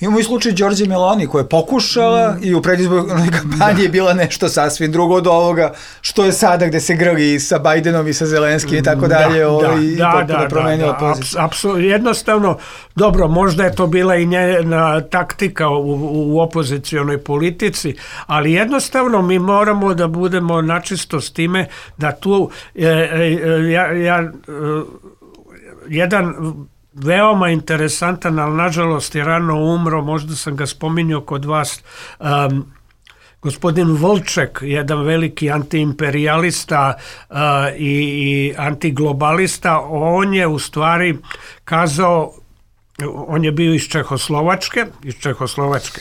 Imamo i slučaj Đorđe Meloni koja je pokušala i u predizbornoj kampanji je bila nešto sasvim drugo od ovoga što je sada gde se grli i sa Bajdenom i sa Zelenskim i tako dalje i potpuno promenila poziciju. Jednostavno, dobro, možda je to bila i njena taktika u opozicionoj politici, ali jednostavno mi moramo da budemo načisto s time da tu jedan veoma interesantan, ali nažalost je rano umro, možda sam ga spominjao kod vas, gospodin Volček, jedan veliki antiimperijalista i antiglobalista. On je u stvari kazao, on je bio iz Čehoslovačke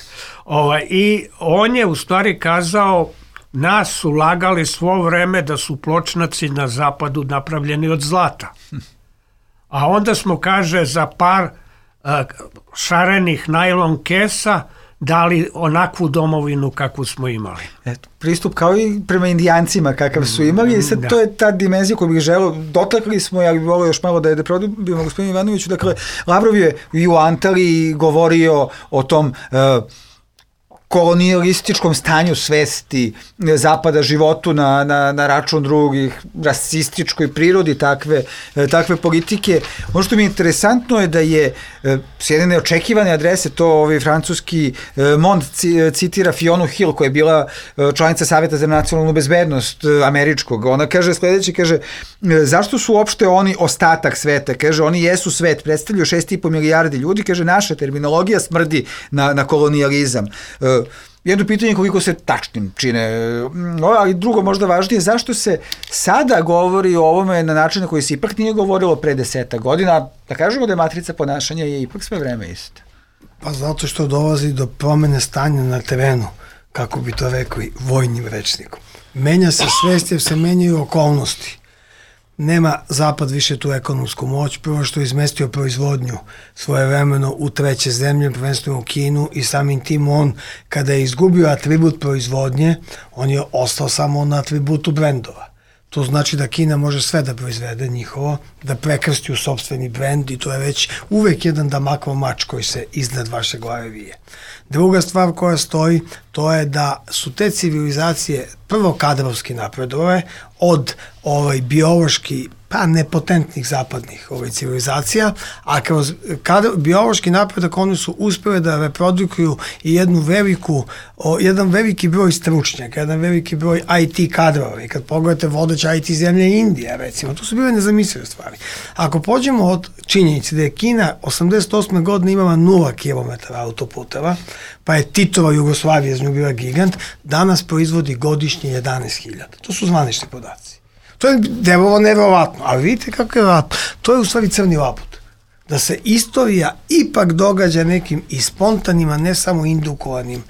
i on je u stvari kazao, nas su lagali svo vreme da su pločnaci na zapadu napravljeni od zlata. A onda smo, kaže, za par šarenih najlon kesa dali onakvu domovinu kakvu smo imali. Pristup kao i prema Indijancima kakav su imali i sad to je ta dimenzija koju bih želeo, dotakli smo, ja bih volio još malo da produbimo gospodinu Ivanoviću, dakle, Lavrov je i u Antaliji govorio o tom kolonijalističkom stanju svesti Zapada, životu na račun drugih, rasističkoj prirodi takve politike. Ono što mi je interesantno je da je s jedne neočekivane adrese, to francuski Mond citira Fionu Hill, koja je bila članica Saveta za nacionalnu bezbednost američkog. Ona kaže sledeće, kaže, zašto su uopšte oni ostatak sveta? Kaže, oni jesu svet, predstavljaju 6,5 milijardi ljudi, kaže, naša terminologija smrdi na kolonijalizam. Jedno pitanje koliko se tačnim čine, ali drugo možda važnije, zašto se sada govori o ovome na način na koji se ipak nije govorilo pre 10 godina, da kažemo da je matrica ponašanja je ipak sve vreme ista. Pa zato što dolazi do promene stanja na terenu, kako bi to rekli vojnim rečnikom. Menja se svest jer se menjaju okolnosti. Nema Zapad više tu ekonomsku moć, prvo što je izmestio proizvodnju svojevremeno u treće zemlje, prvenstveno u Kinu, i samim tim on, kada je izgubio atribut proizvodnje, on je ostao samo na atributu brendova. To znači da Kina može sve da proizvede njihovo, da prekrsti u sopstveni brend, i to je već uvek jedan damakov mač koji se iznad vaše glave vije. Druga stvar koja stoji, to je da su te civilizacije prvo kadrovski napredove od biološki nepotentnih zapadnih civilizacija, a kroz biološki napredak oni su uspjeli da reprodukuju i jedan veliki broj stručnjaka, jedan veliki broj IT kadrova. I kad pogledate vodeća IT zemlje Indija, recimo, to su bile nezamislive stvari. Ako pođemo od činjenice da je Kina 88. godine imala 0 km autoputeva, pa je Titova Jugoslavija iz nju bila gigant, danas proizvodi godišnje 11.000. To su zvanični podaci. To je nevjerovatno, ali vidite kako je vjerovatno. To je u stvari crni labud. Da se istorija ipak događa nekim i spontanim, a ne samo indukovanim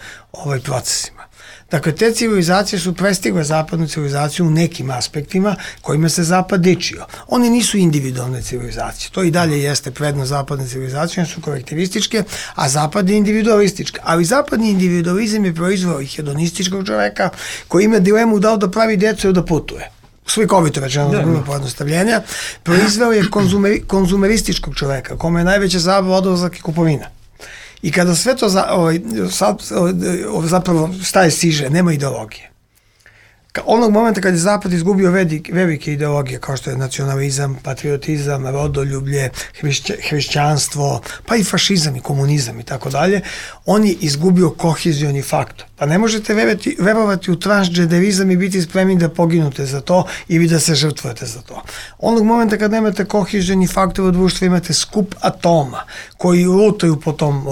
procesima. Dakle, te civilizacije su prestigle zapadnu civilizaciju u nekim aspektima kojima se Zapad dičio. Oni nisu individualne civilizacije. To i dalje jeste prednost zapadne civilizacije, one su kolektivističke, a Zapad je individualistička. Ali zapadni individualizam je proizveo i hedonističkog čoveka koji ima dilemu da li da pravi djecu ili da putuje. Slikovito rečeno za grubo pojednostavljenja, proizveo je konzumerističkog čoveka, kome je najveća zabava odlazak i kupovina. I kada sve to zapravo staje siže, nema ideologije. onog momenta kad je Zapad izgubio velike ideologije kao što je nacionalizam, patriotizam, rodoljublje, hrišćanstvo, pa i fašizam i komunizam i tako dalje, on je izgubio kohezioni faktor. Pa ne možete verovati u transgenderizam i biti spremni da poginute za to ili da se žrtvujete za to. Onog momenta kad nemate kohezioni faktor u društvu, imate skup atoma koji lutaju po tom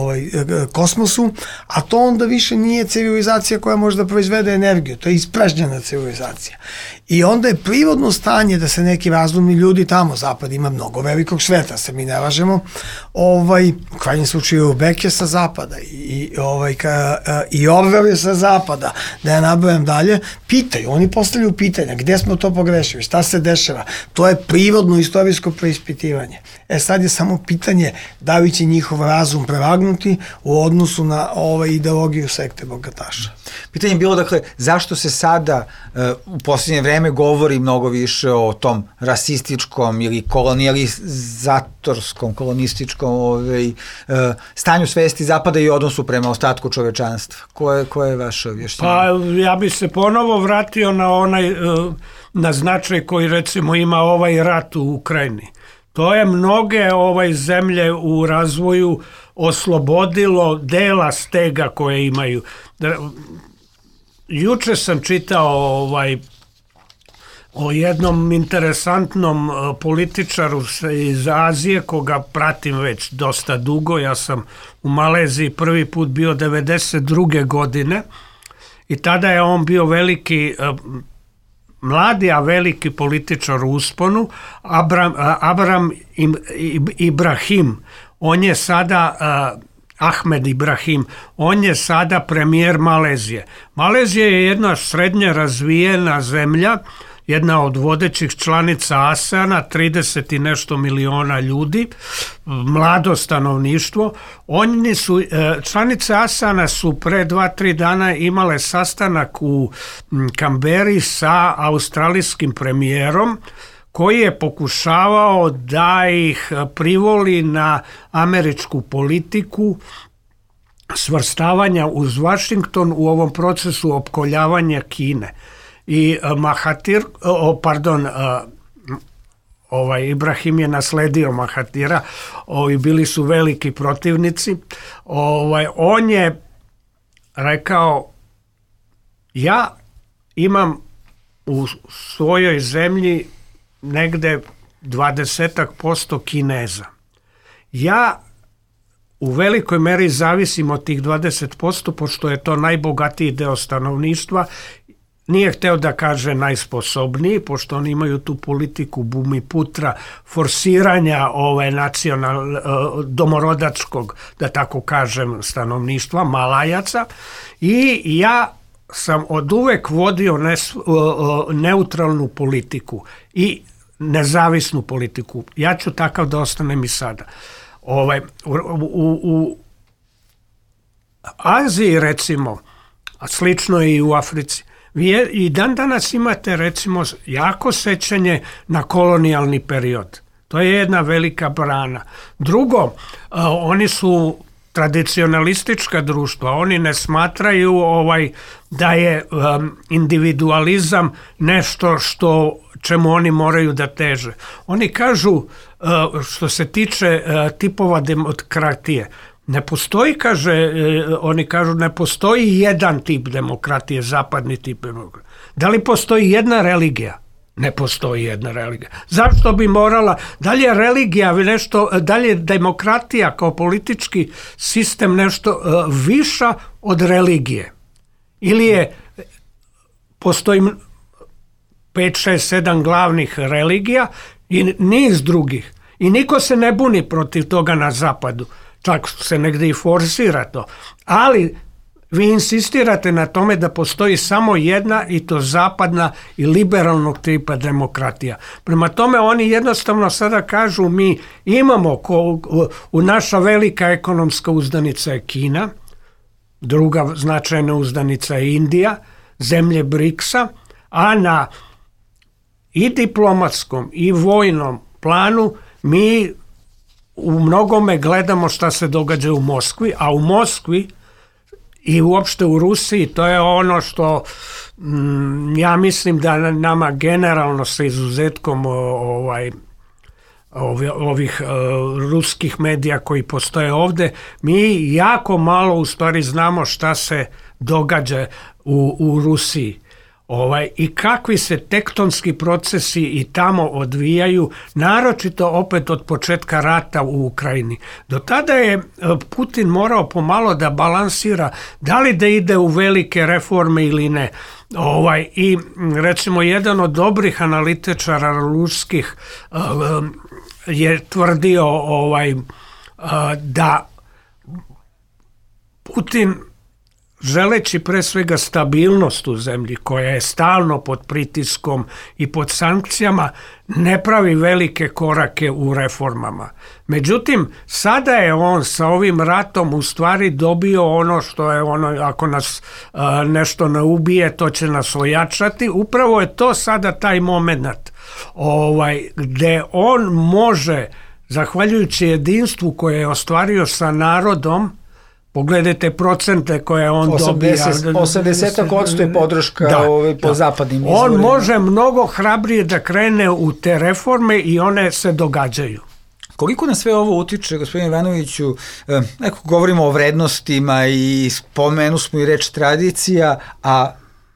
kosmosu, a to onda više nije civilizacija koja može da proizvede energiju, to je ispražnjena civilizacija. I onda je prirodno stanje da se neki razumni ljudi tamo, Zapad ima mnogo velikog sveta, se mi ne lažemo, u krajnjem slučaju Beke sa Zapada i Orwell je sa Zapada, da ja nabrojam dalje, pitaju, oni postavljaju pitanja, gde smo to pogrešili, šta se dešava, to je prirodno istorijsko preispitivanje. Sad je samo pitanje da li će njihov razum prevagnuti u odnosu na ideologiju sekte bogataša. Pitanje je bilo, dakle, zašto se sada u posljednje vreme govori mnogo više o tom rasističkom ili kolonijalizatorskom, kolonističkom stanju svesti Zapada i odnosu prema ostatku čovečanstva? Koje je vaše objašnjenje? Pa ja bi se ponovo vratio na značaj koji recimo ima ovaj rat u Ukrajini. To je mnoge zemlje u razvoju oslobodilo dela stega koje imaju. Juče sam čitao o jednom interesantnom političaru iz Azije koga pratim već dosta dugo. Ja sam u Maleziji prvi put bio 92. godine i tada je on bio mladi, a veliki političar u usponu, Abram Ibrahim. On je sada Ahmed Ibrahim, on je sada premijer Malezije. Malezija je jedna srednje razvijena zemlja, jedna od vodećih članica ASEANA, 30 i nešto miliona ljudi, mlado stanovništvo. Članice ASEANA su pre 2-3 dana imale sastanak u Kamberi sa australijskim premijerom, koji je pokušavao da ih privoli na američku politiku svrstavanja uz Washington u ovom procesu opkoljavanja Kine. I Ibrahim je nasledio Mahatira, bili su veliki protivnici. On je rekao, ja imam u svojoj zemlji negde 20% Kineza. Ja u velikoj meri zavisim od tih 20%, pošto je to najbogatiji deo stanovništva. Nije hteo da kaže najsposobniji, pošto oni imaju tu politiku Bumiputra, forsiranja domorodačkog, da tako kažem, stanovništva, Malajaca, i ja sam od uvek vodio neutralnu politiku i nezavisnu politiku. Ja ću takav da ostanem i sada. U Aziji, recimo, a slično je i u Africi, vi i dan danas imate, recimo, jako sećanje na kolonijalni period. To je jedna velika brana. Drugo, oni su tradicionalistička društva, oni ne smatraju da je individualizam nešto čemu oni moraju da teže. Oni kažu, što se tiče tipova demokratije, ne postoji, oni kažu, ne postoji jedan tip demokratije, zapadni tip demokratije. Da li postoji jedna religija? Ne postoji jedna religija. Zašto bi morala, da li je religija nešto, da li je demokratija kao politički sistem nešto viša od religije? Ili postoji 5, 6, 7 glavnih religija i niz drugih. I niko se ne buni protiv toga na zapadu. Čak se negdje i forsira to. Ali vi insistirate na tome da postoji samo jedna, i to zapadna i liberalnog tipa demokratija. Prema tome oni jednostavno sada kažu, mi imamo, naša velika ekonomska uzdanica je Kina, druga značajna uzdanica je Indija, zemlje BRICS-a, a na i diplomatskom i vojnom planu mi u mnogome gledamo šta se događa u Moskvi, a u Moskvi i uopšte u Rusiji, to je ono što ja mislim da nama generalno sa izuzetkom ovih ruskih medija koji postoje ovde, mi jako malo u stvari znamo šta se događa u Rusiji. I kakvi se tektonski procesi i tamo odvijaju, naročito opet od početka rata u Ukrajini. Do tada je Putin morao pomalo da balansira da li da ide u velike reforme ili ne. I recimo jedan od dobrih analitičara ruskih je tvrdio da Putin, želeći pre svega stabilnost u zemlji koja je stalno pod pritiskom i pod sankcijama, ne pravi velike korake u reformama. Međutim, sada je on sa ovim ratom u stvari dobio ono što je ako nas nešto ne ubije, to će nas ojačati. Upravo je to sada taj moment gde on može, zahvaljujući jedinstvu koje je ostvario sa narodom, pogledajte procente koje on dobija. 80% je podrška po zapadnim izvorima. On može mnogo hrabrije da krene u te reforme i one se događaju. Koliko na sve ovo utiče, gospodine Ivanoviću, govorimo o vrednostima i spomenu smo i reč tradicija, a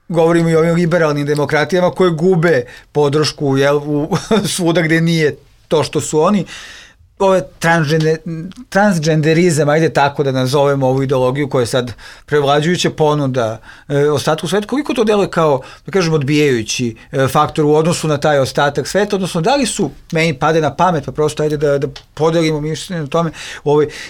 govorimo i o ovim liberalnim demokratijama koje gube podršku svuda gde nije to što su oni. Transgenderizam, ajde tako da nazovemo ovu ideologiju koja je sad prevlađujuća ponuda ostatku sveta, koliko to deluje kao, da kažem, odbijajući faktor u odnosu na taj ostatak sveta, odnosno da li su, meni pade na pamet, pa prosto ajde da podelimo mišljenje na tome,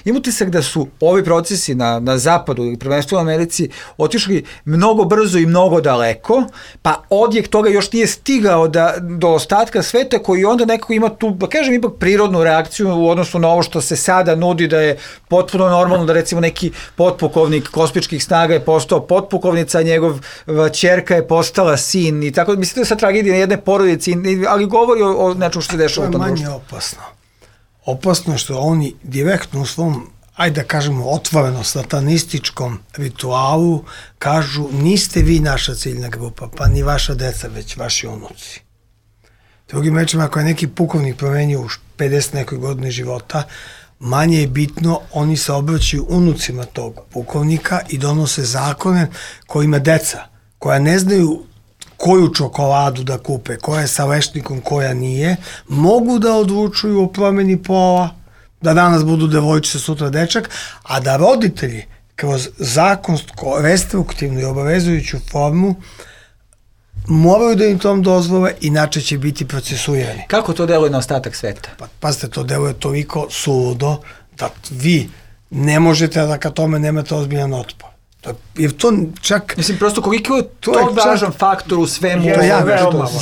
imam utisak da su ovi procesi na zapadu ili prvenstveno u Americi otišli mnogo brzo i mnogo daleko, pa odjek toga još nije stigao do ostatka sveta koji onda nekako ima tu, da kažem, ipak prirodnu reakciju u odnosu na ovo što se sada nudi da je potpuno normalno da recimo neki potpukovnik kosmičkih snaga je postao potpukovnica, njegov ćerka je postala sin i tako. Mislite da sa tragedija jedne porodice, ali govori o nečemu što se dešava u tom društvu. To je manje opasno. Opasno što oni direktno u svom, ajde da kažemo, otvoreno satanističkom ritualu kažu niste vi naša ciljna grupa, pa ni vaša deca, već vaši unuci. Drugim rečima, ako je neki pukovnik promenio u 50 nekoj godine života, manje je bitno, oni se obraćaju unucima tog pukovnika i donose zakone kojima deca, koja ne znaju koju čokoladu da kupe, koja je sa lešnikom, koja nije, mogu da odlučuju o promeni pola, da danas budu devojčice, sutra dečak, a da roditelji kroz zakonsko, restriktivnu i obavezujuću formu moraju da im tom dozvole, inače će biti procesuirani. Kako to deluje na ostatak sveta? Pazite, to deluje toliko suludo da vi ne možete da ka tome nemate ozbiljan otpor. Jer to čak... Mislim, prosto koliko je to važan faktor u svemu? To je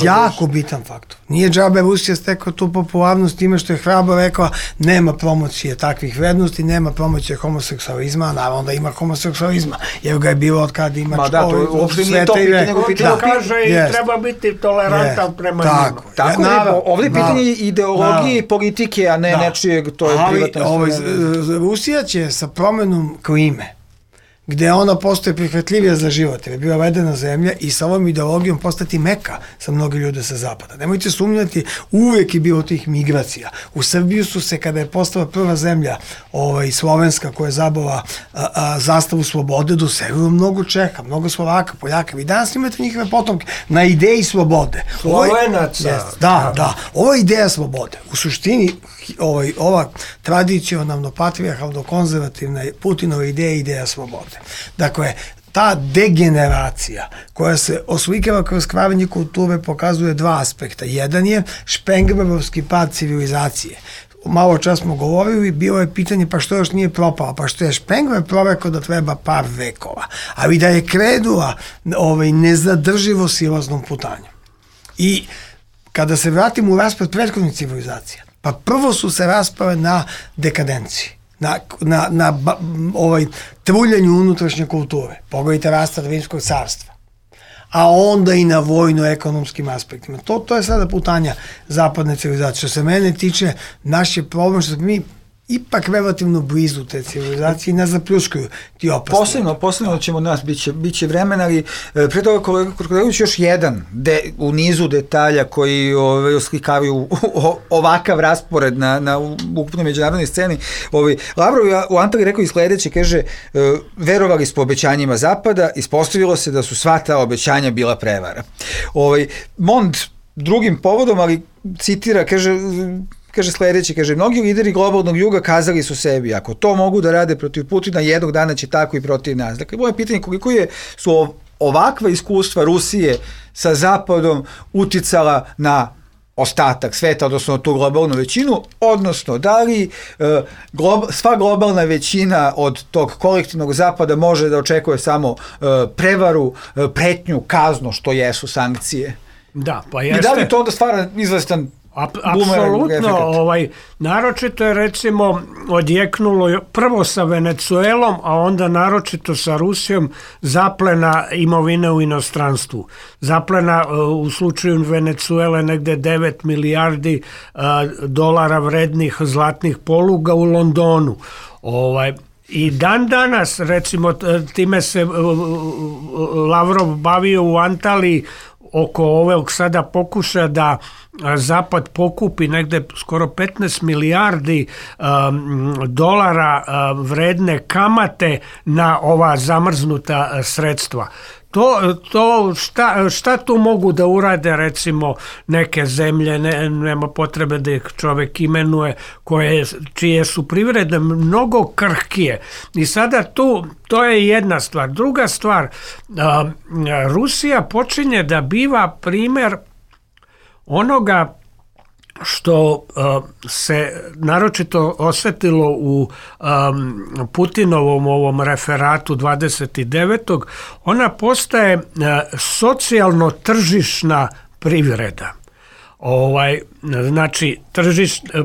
jako bitan faktor. Nije džabe Rusija stekao tu popularnost time što je hrabro rekao nema promocije takvih vrednosti, nema promocije homoseksualizma, naravno da ima homoseksualizma, jer ga je bilo od kada ima uopšte nije to pitanje, nego pitanje kaže i treba biti tolerantan prema njima. Tako je, ovdje je pitanje ideologije i politike, a ne nečijeg, to je privatno. Rusija će sa promenom klime, gde ona postoje prihvatljivija za život, jer je bila vedena zemlja i sa ovom ideologijom postati meka sa mnogi ljude sa zapada. Nemojte sumnjati, uvek je bilo tih migracija. U Srbiju su se, kada je postala prva zemlja slovenska koja je zabala zastavu slobode, doselilo mnogo Čeha, mnogo Slovaka, Poljaka. Vi danas imate njihove potomke na ideji slobode. Slovenaca. Da. Ova ideja slobode, u suštini, ova tradicionalno patrijarhalno konzervativna Putinova ideja slobode. Dakle, ta degeneracija koja se oslikava kroz kvarenje kulture pokazuje dva aspekta. Jedan je špenglerovski pad civilizacije. Malo čas smo govorili, bilo je pitanje pa što još nije propala, pa što je Špengler prorekao da treba par vekova, ali da je krenula nezadrživo silaznom putanjem. I kada se vratimo u raspad prethodnih civilizacija, pa prvo su se raspale na dekadenciji, na truljanju unutrašnje kulture. Pogledajte raspad Rimskog carstva. A onda i na vojno-ekonomskim aspektima. To je sada putanja zapadne civilizacije. Što se mene tiče, naš je problem što mi ipak relativno blizu te civilizacije i nas zapljuskaju ti opasni. Posebno ćemo nas, bit će vremena, ali pre toga kolega još jedan u nizu detalja koji oslikavaju ovakav raspored na ukupnoj međunarodnoj sceni. Lavrov je u Antaliji rekao i sledeće, kaže, verovali smo obećanjima Zapada, ispostavilo se da su sva ta obećanja bila prevara. Mond drugim povodom, ali citira, kaže sledeće, kaže, mnogi lideri globalnog juga kazali su sebi, ako to mogu da rade protiv Putina, jednog dana će tako i protiv nas. Dakle, moje pitanje, koliko su ovakva iskustva Rusije sa Zapadom uticala na ostatak sveta, odnosno tu globalnu većinu, odnosno da li sva globalna većina od tog kolektivnog Zapada može da očekuje samo prevaru, pretnju, kaznu, što jesu sankcije? Da, pa jeste. I da li to onda stvara izvestan apsolutno, naročito je recimo odjeknulo prvo sa Venecuelom, a onda naročito sa Rusijom zaplena imovine u inostranstvu. Zaplena u slučaju Venecuele negde 9 milijardi dolara vrednih zlatnih poluga u Londonu. I dan danas, recimo, time se Lavrov bavio u Antaliji oko ovog sada pokuša da Zapad pokupi negde skoro 15 milijardi dolara vredne kamate na ova zamrznuta sredstva. Šta tu mogu da urade recimo neke zemlje, nema potrebe da ih čovek imenuje, čije su privrede mnogo krhkije. I sada to je jedna stvar. Druga stvar, Rusija počinje da biva primer onoga što se naročito osetilo u Putinovom ovom referatu 29. Ona postaje socijalno tržišna privreda. Znači,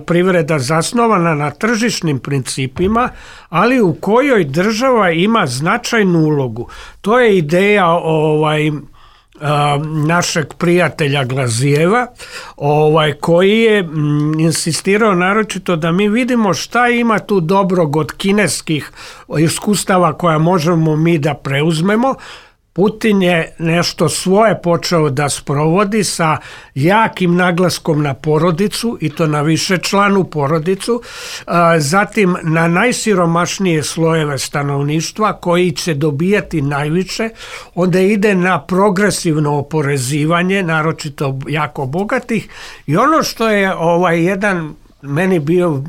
privreda zasnovana na tržišnim principima, ali u kojoj država ima značajnu ulogu. To je ideja našeg prijatelja Glazijeva, koji je insistirao naročito da mi vidimo šta ima tu dobrog od kineskih iskustava koja možemo mi da preuzmemo. Putin je nešto svoje počeo da sprovodi sa jakim naglaskom na porodicu, i to na višečlanu porodicu, zatim na najsiromašnije slojeve stanovništva koji će dobijati najviše, onda ide na progresivno oporezivanje, naročito jako bogatih, i ono što je jedan meni bio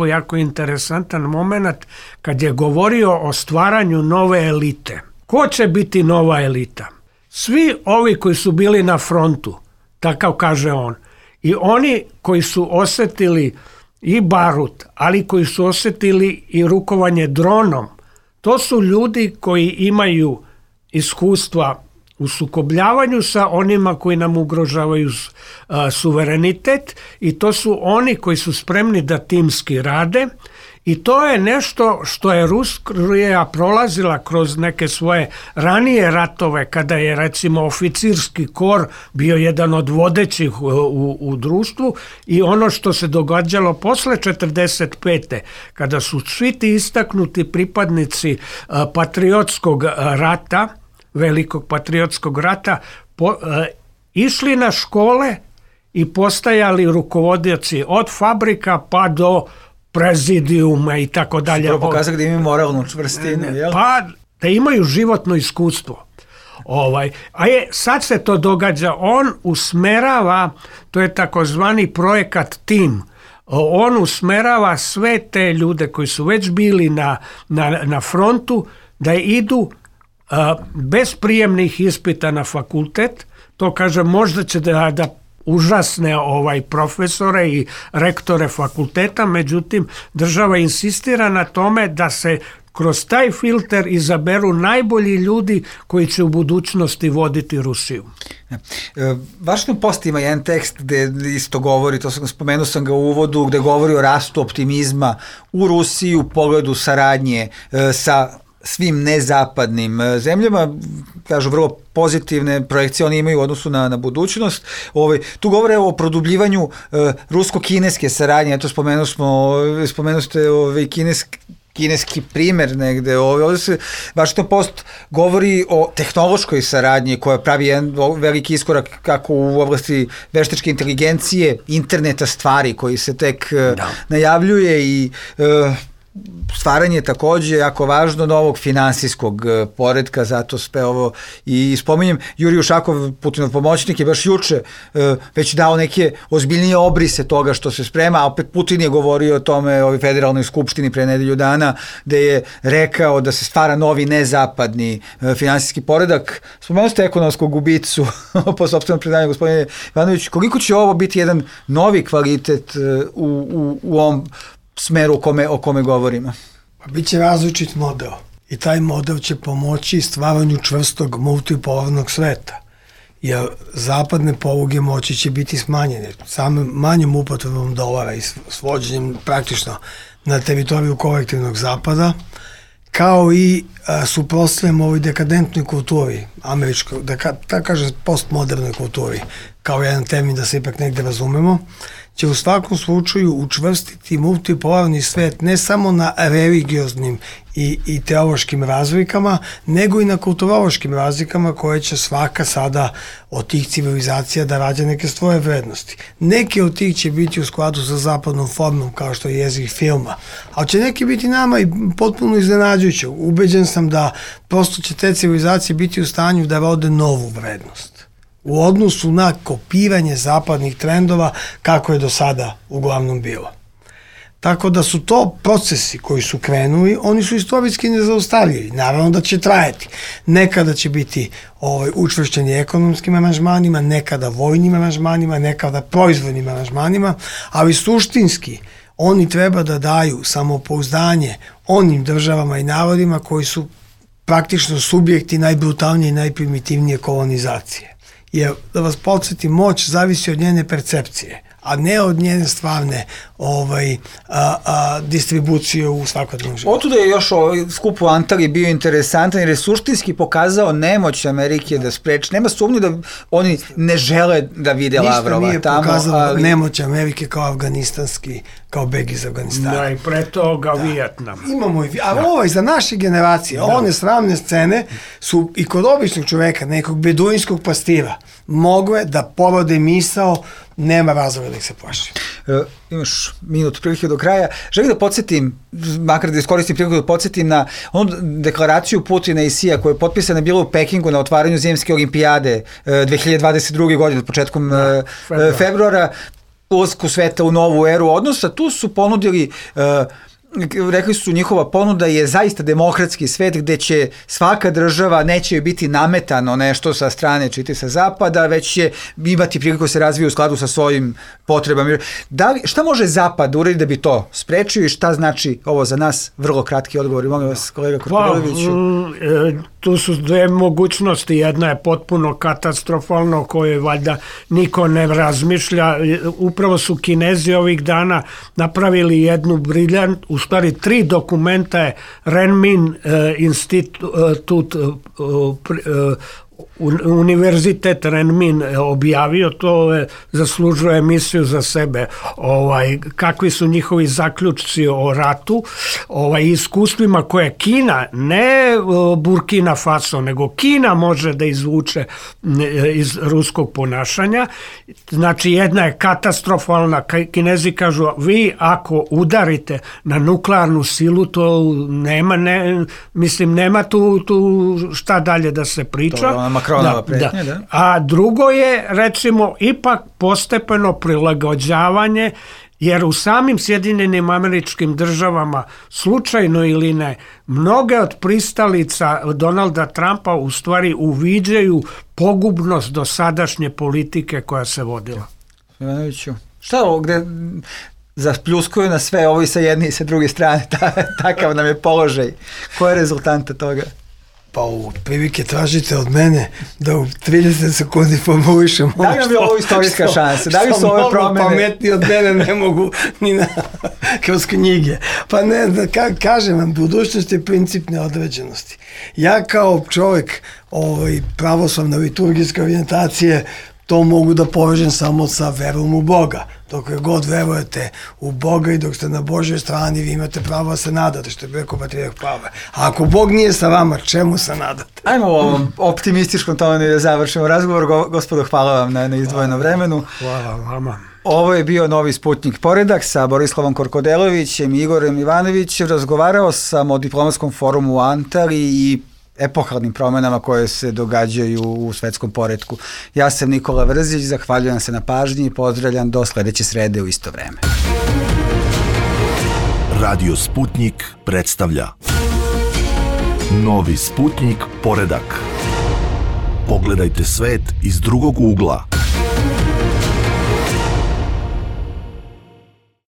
jako interesantan moment kad je govorio o stvaranju nove elite. Ko će biti nova elita? Svi ovi koji su bili na frontu, takav kaže on, i oni koji su osetili i barut, ali koji su osetili i rukovanje dronom, to su ljudi koji imaju iskustva u sukobljavanju sa onima koji nam ugrožavaju suverenitet, i to su oni koji su spremni da timski rade. I to je nešto što je Rusija prolazila kroz neke svoje ranije ratove, kada je recimo oficirski kor bio jedan od vodećih u društvu, i ono što se događalo posle 45. kada su svi ti istaknuti pripadnici patriotskog rata, velikog patriotskog rata, išli na škole i postajali rukovodioci od fabrika pa do prezidijuma i tako dalje. Prvo pokazati da imaju moralnu čvrstinu, jel? Pa da imaju životno iskustvo. Sad se to događa, on usmerava, to je takozvani projekat TIM, on usmerava sve te ljude koji su već bili na frontu da idu bez prijemnih ispita na fakultet. To kaže, možda će da užasne profesore i rektore fakulteta, međutim država insistira na tome da se kroz taj filter izaberu najbolji ljudi koji će u budućnosti voditi Rusiju. Washington Post ima jedan tekst gde isto govori, spomenuo sam ga u uvodu, gde govori o rastu optimizma u Rusiji u pogledu saradnje sa svim nezapadnim zemljama, kažu vrlo pozitivne projekcije oni imaju u odnosu na budućnost. Tu govore o produbljivanju rusko-kineske saradnje, eto spomenuli ste kineski primer negde. Ovdje se Washington Post govori o tehnološkoj saradnji koja pravi jedan veliki iskorak kako u oblasti veštačke inteligencije, interneta stvari koji se tek najavljuje i stvaranje takođe jako važno novog finansijskog poretka, zato sve ovo i spominjem. Jurij Ušakov, Putinov pomoćnik, je baš juče već dao neke ozbiljnije obrise toga što se sprema, a opet Putin je govorio o tome o federalnoj skupštini pre nedelju dana, gde je rekao da se stvara novi nezapadni finansijski poredak. Spomenuli ste ekonomskog ubicu po sopstvenom predanju, gospodine Ivanović, koliko će ovo biti jedan novi kvalitet u ovom smeru o kome govorimo? Pa biće različit model i taj model će pomoći stvaranju čvrstog multipolarnog sveta, jer zapadne poluge moći će biti smanjene samim manjom upotrebom dolara i svođenjem praktično na teritoriju kolektivnog zapada, kao i suprotstavljamo ovoj dekadentnoj kulturi, američkoj, da kažem postmodernoj kulturi, kao jedan termin da se ipak negde razumemo, će u svakom slučaju učvrstiti multipolarni svet ne samo na religioznim i teološkim razlikama, nego i na kulturološkim razlikama koje će svaka sada od tih civilizacija da rađa neke svoje vrednosti. Neke od tih će biti u skladu sa zapadnom formom, kao što je jezik filma, ali će neki biti nama i potpuno iznenađujuće. Ubeđen sam da prosto će te civilizacije biti u stanju da rode novu vrednost u odnosu na kopiranje zapadnih trendova kako je do sada uglavnom bilo. Tako da su to procesi koji su krenuli, oni su istorijski nezaustavljivi. Naravno da će trajati. Nekada će biti učvršćeni ekonomskim aranžmanima, nekada vojnim aranžmanima, nekada proizvodnim aranžmanima, ali suštinski oni treba da daju samopouzdanje onim državama i narodima koji su praktično subjekti najbrutalnije i najprimitivnije kolonizacije. Jer, da vas podsjetim, moć zavisi od njene percepcije, a ne od njene stvarne distribucije u svakodnevnom životu. Otuda je još skup u Antaliji bio interesantan jer je suštinski pokazao nemoć Amerike da spreči. Nema sumnje da oni ne žele da vide Lavrova tamo. Ništa nije pokazalo nemoć Amerike kao afganistanski, kao beg iz Afganistana. Da, i pre toga Vijetnam. Imamo i za naše generacije, one sramne scene su i kod običnog čoveka, nekog beduinskog pastira, mogle da porode misao, nema razloga da ih se plaši. Imaš minut prilike do kraja. Želim da podsjetim, makar da iskoristim priliku da podsjetim na onu deklaraciju Putina i Sija koja je potpisana bila u Pekingu na otvaranju Zimske olimpijade 2022. godine, početkom februara, ulasku sveta u novu eru odnosa. Tu su ponudili rekli su njihova ponuda je zaista demokratski svet gde će svaka država, neće joj biti nametano nešto sa strane čiti sa zapada, već će imati priliku da se razvije u skladu sa svojim potrebama. Šta može zapad uraditi da bi to sprečio i šta znači ovo za nas? Vrlo kratki odgovor. Molim vas, kolega Krkoviću. Tu su dve mogućnosti. Jedna je potpuno katastrofalna o kojoj valjda niko ne razmišlja. Upravo su Kinezi ovih dana napravili jednu briljant, u stvari 3 dokumenta je Renmin institut Univerzitet Renmin objavio, to zaslužuje emisiju za sebe, kakvi su njihovi zaključci o ratu, iskustvima koje Kina, ne Burkina Faso, nego Kina može da izvuče iz ruskog ponašanja. Znači jedna je katastrofalna, Kinezi kažu vi ako udarite na nuklearnu silu, to nema tu šta dalje da se priča. Makronova pretnja, da. A drugo je, recimo, ipak postepeno prilagođavanje, jer u samim Sjedinjenim Američkim Državama, slučajno ili ne, mnoge od pristalica Donalda Trumpa u stvari uviđaju pogubnost dosadašnje politike koja se vodila. Ivanoviću, šta ovo gde zapljuskuju na sve ovo i sa jedne i sa druge strane, takav nam je položaj. Koja je rezultanta toga? Pa u prilike tražite od mene da u 30 sekundi formulišem da li nam je ovo istorijska šansa? Da li su ove promene? Pametni od mene ne mogu kroz knjige. Pa ne, kažem vam, budućnost je princip neodređenosti. Ja kao čovjek pravoslavne liturgijske orijentacije to mogu da povežem samo sa verom u Boga. Dok god verujete u Boga i dok ste na Božoj strani, vi imate pravo da se nadate, što je rekao patrijarh Pavle. A ako Bog nije sa vama, čemu se nadate? Ajmo u ovom optimističkom tonu da završimo razgovor. Gospodo, hvala vam na izdvojenom vremenu. Hvala vama. Ovo je bio Novi Sputnik Poredak sa Borislavom Korkodelovićem i Igorem Ivanovićem. Razgovarao sam o diplomatskom forumu u Antaliji i epohalnim promenama koje se događaju u svetskom poretku. Ja sam Nikola Vrzić, zahvaljujem se na pažnji i pozdravljam do sledeće srede u isto vreme. Radio Sputnik predstavlja Novi Sputnik Poredak. Pogledajte svet iz drugog ugla.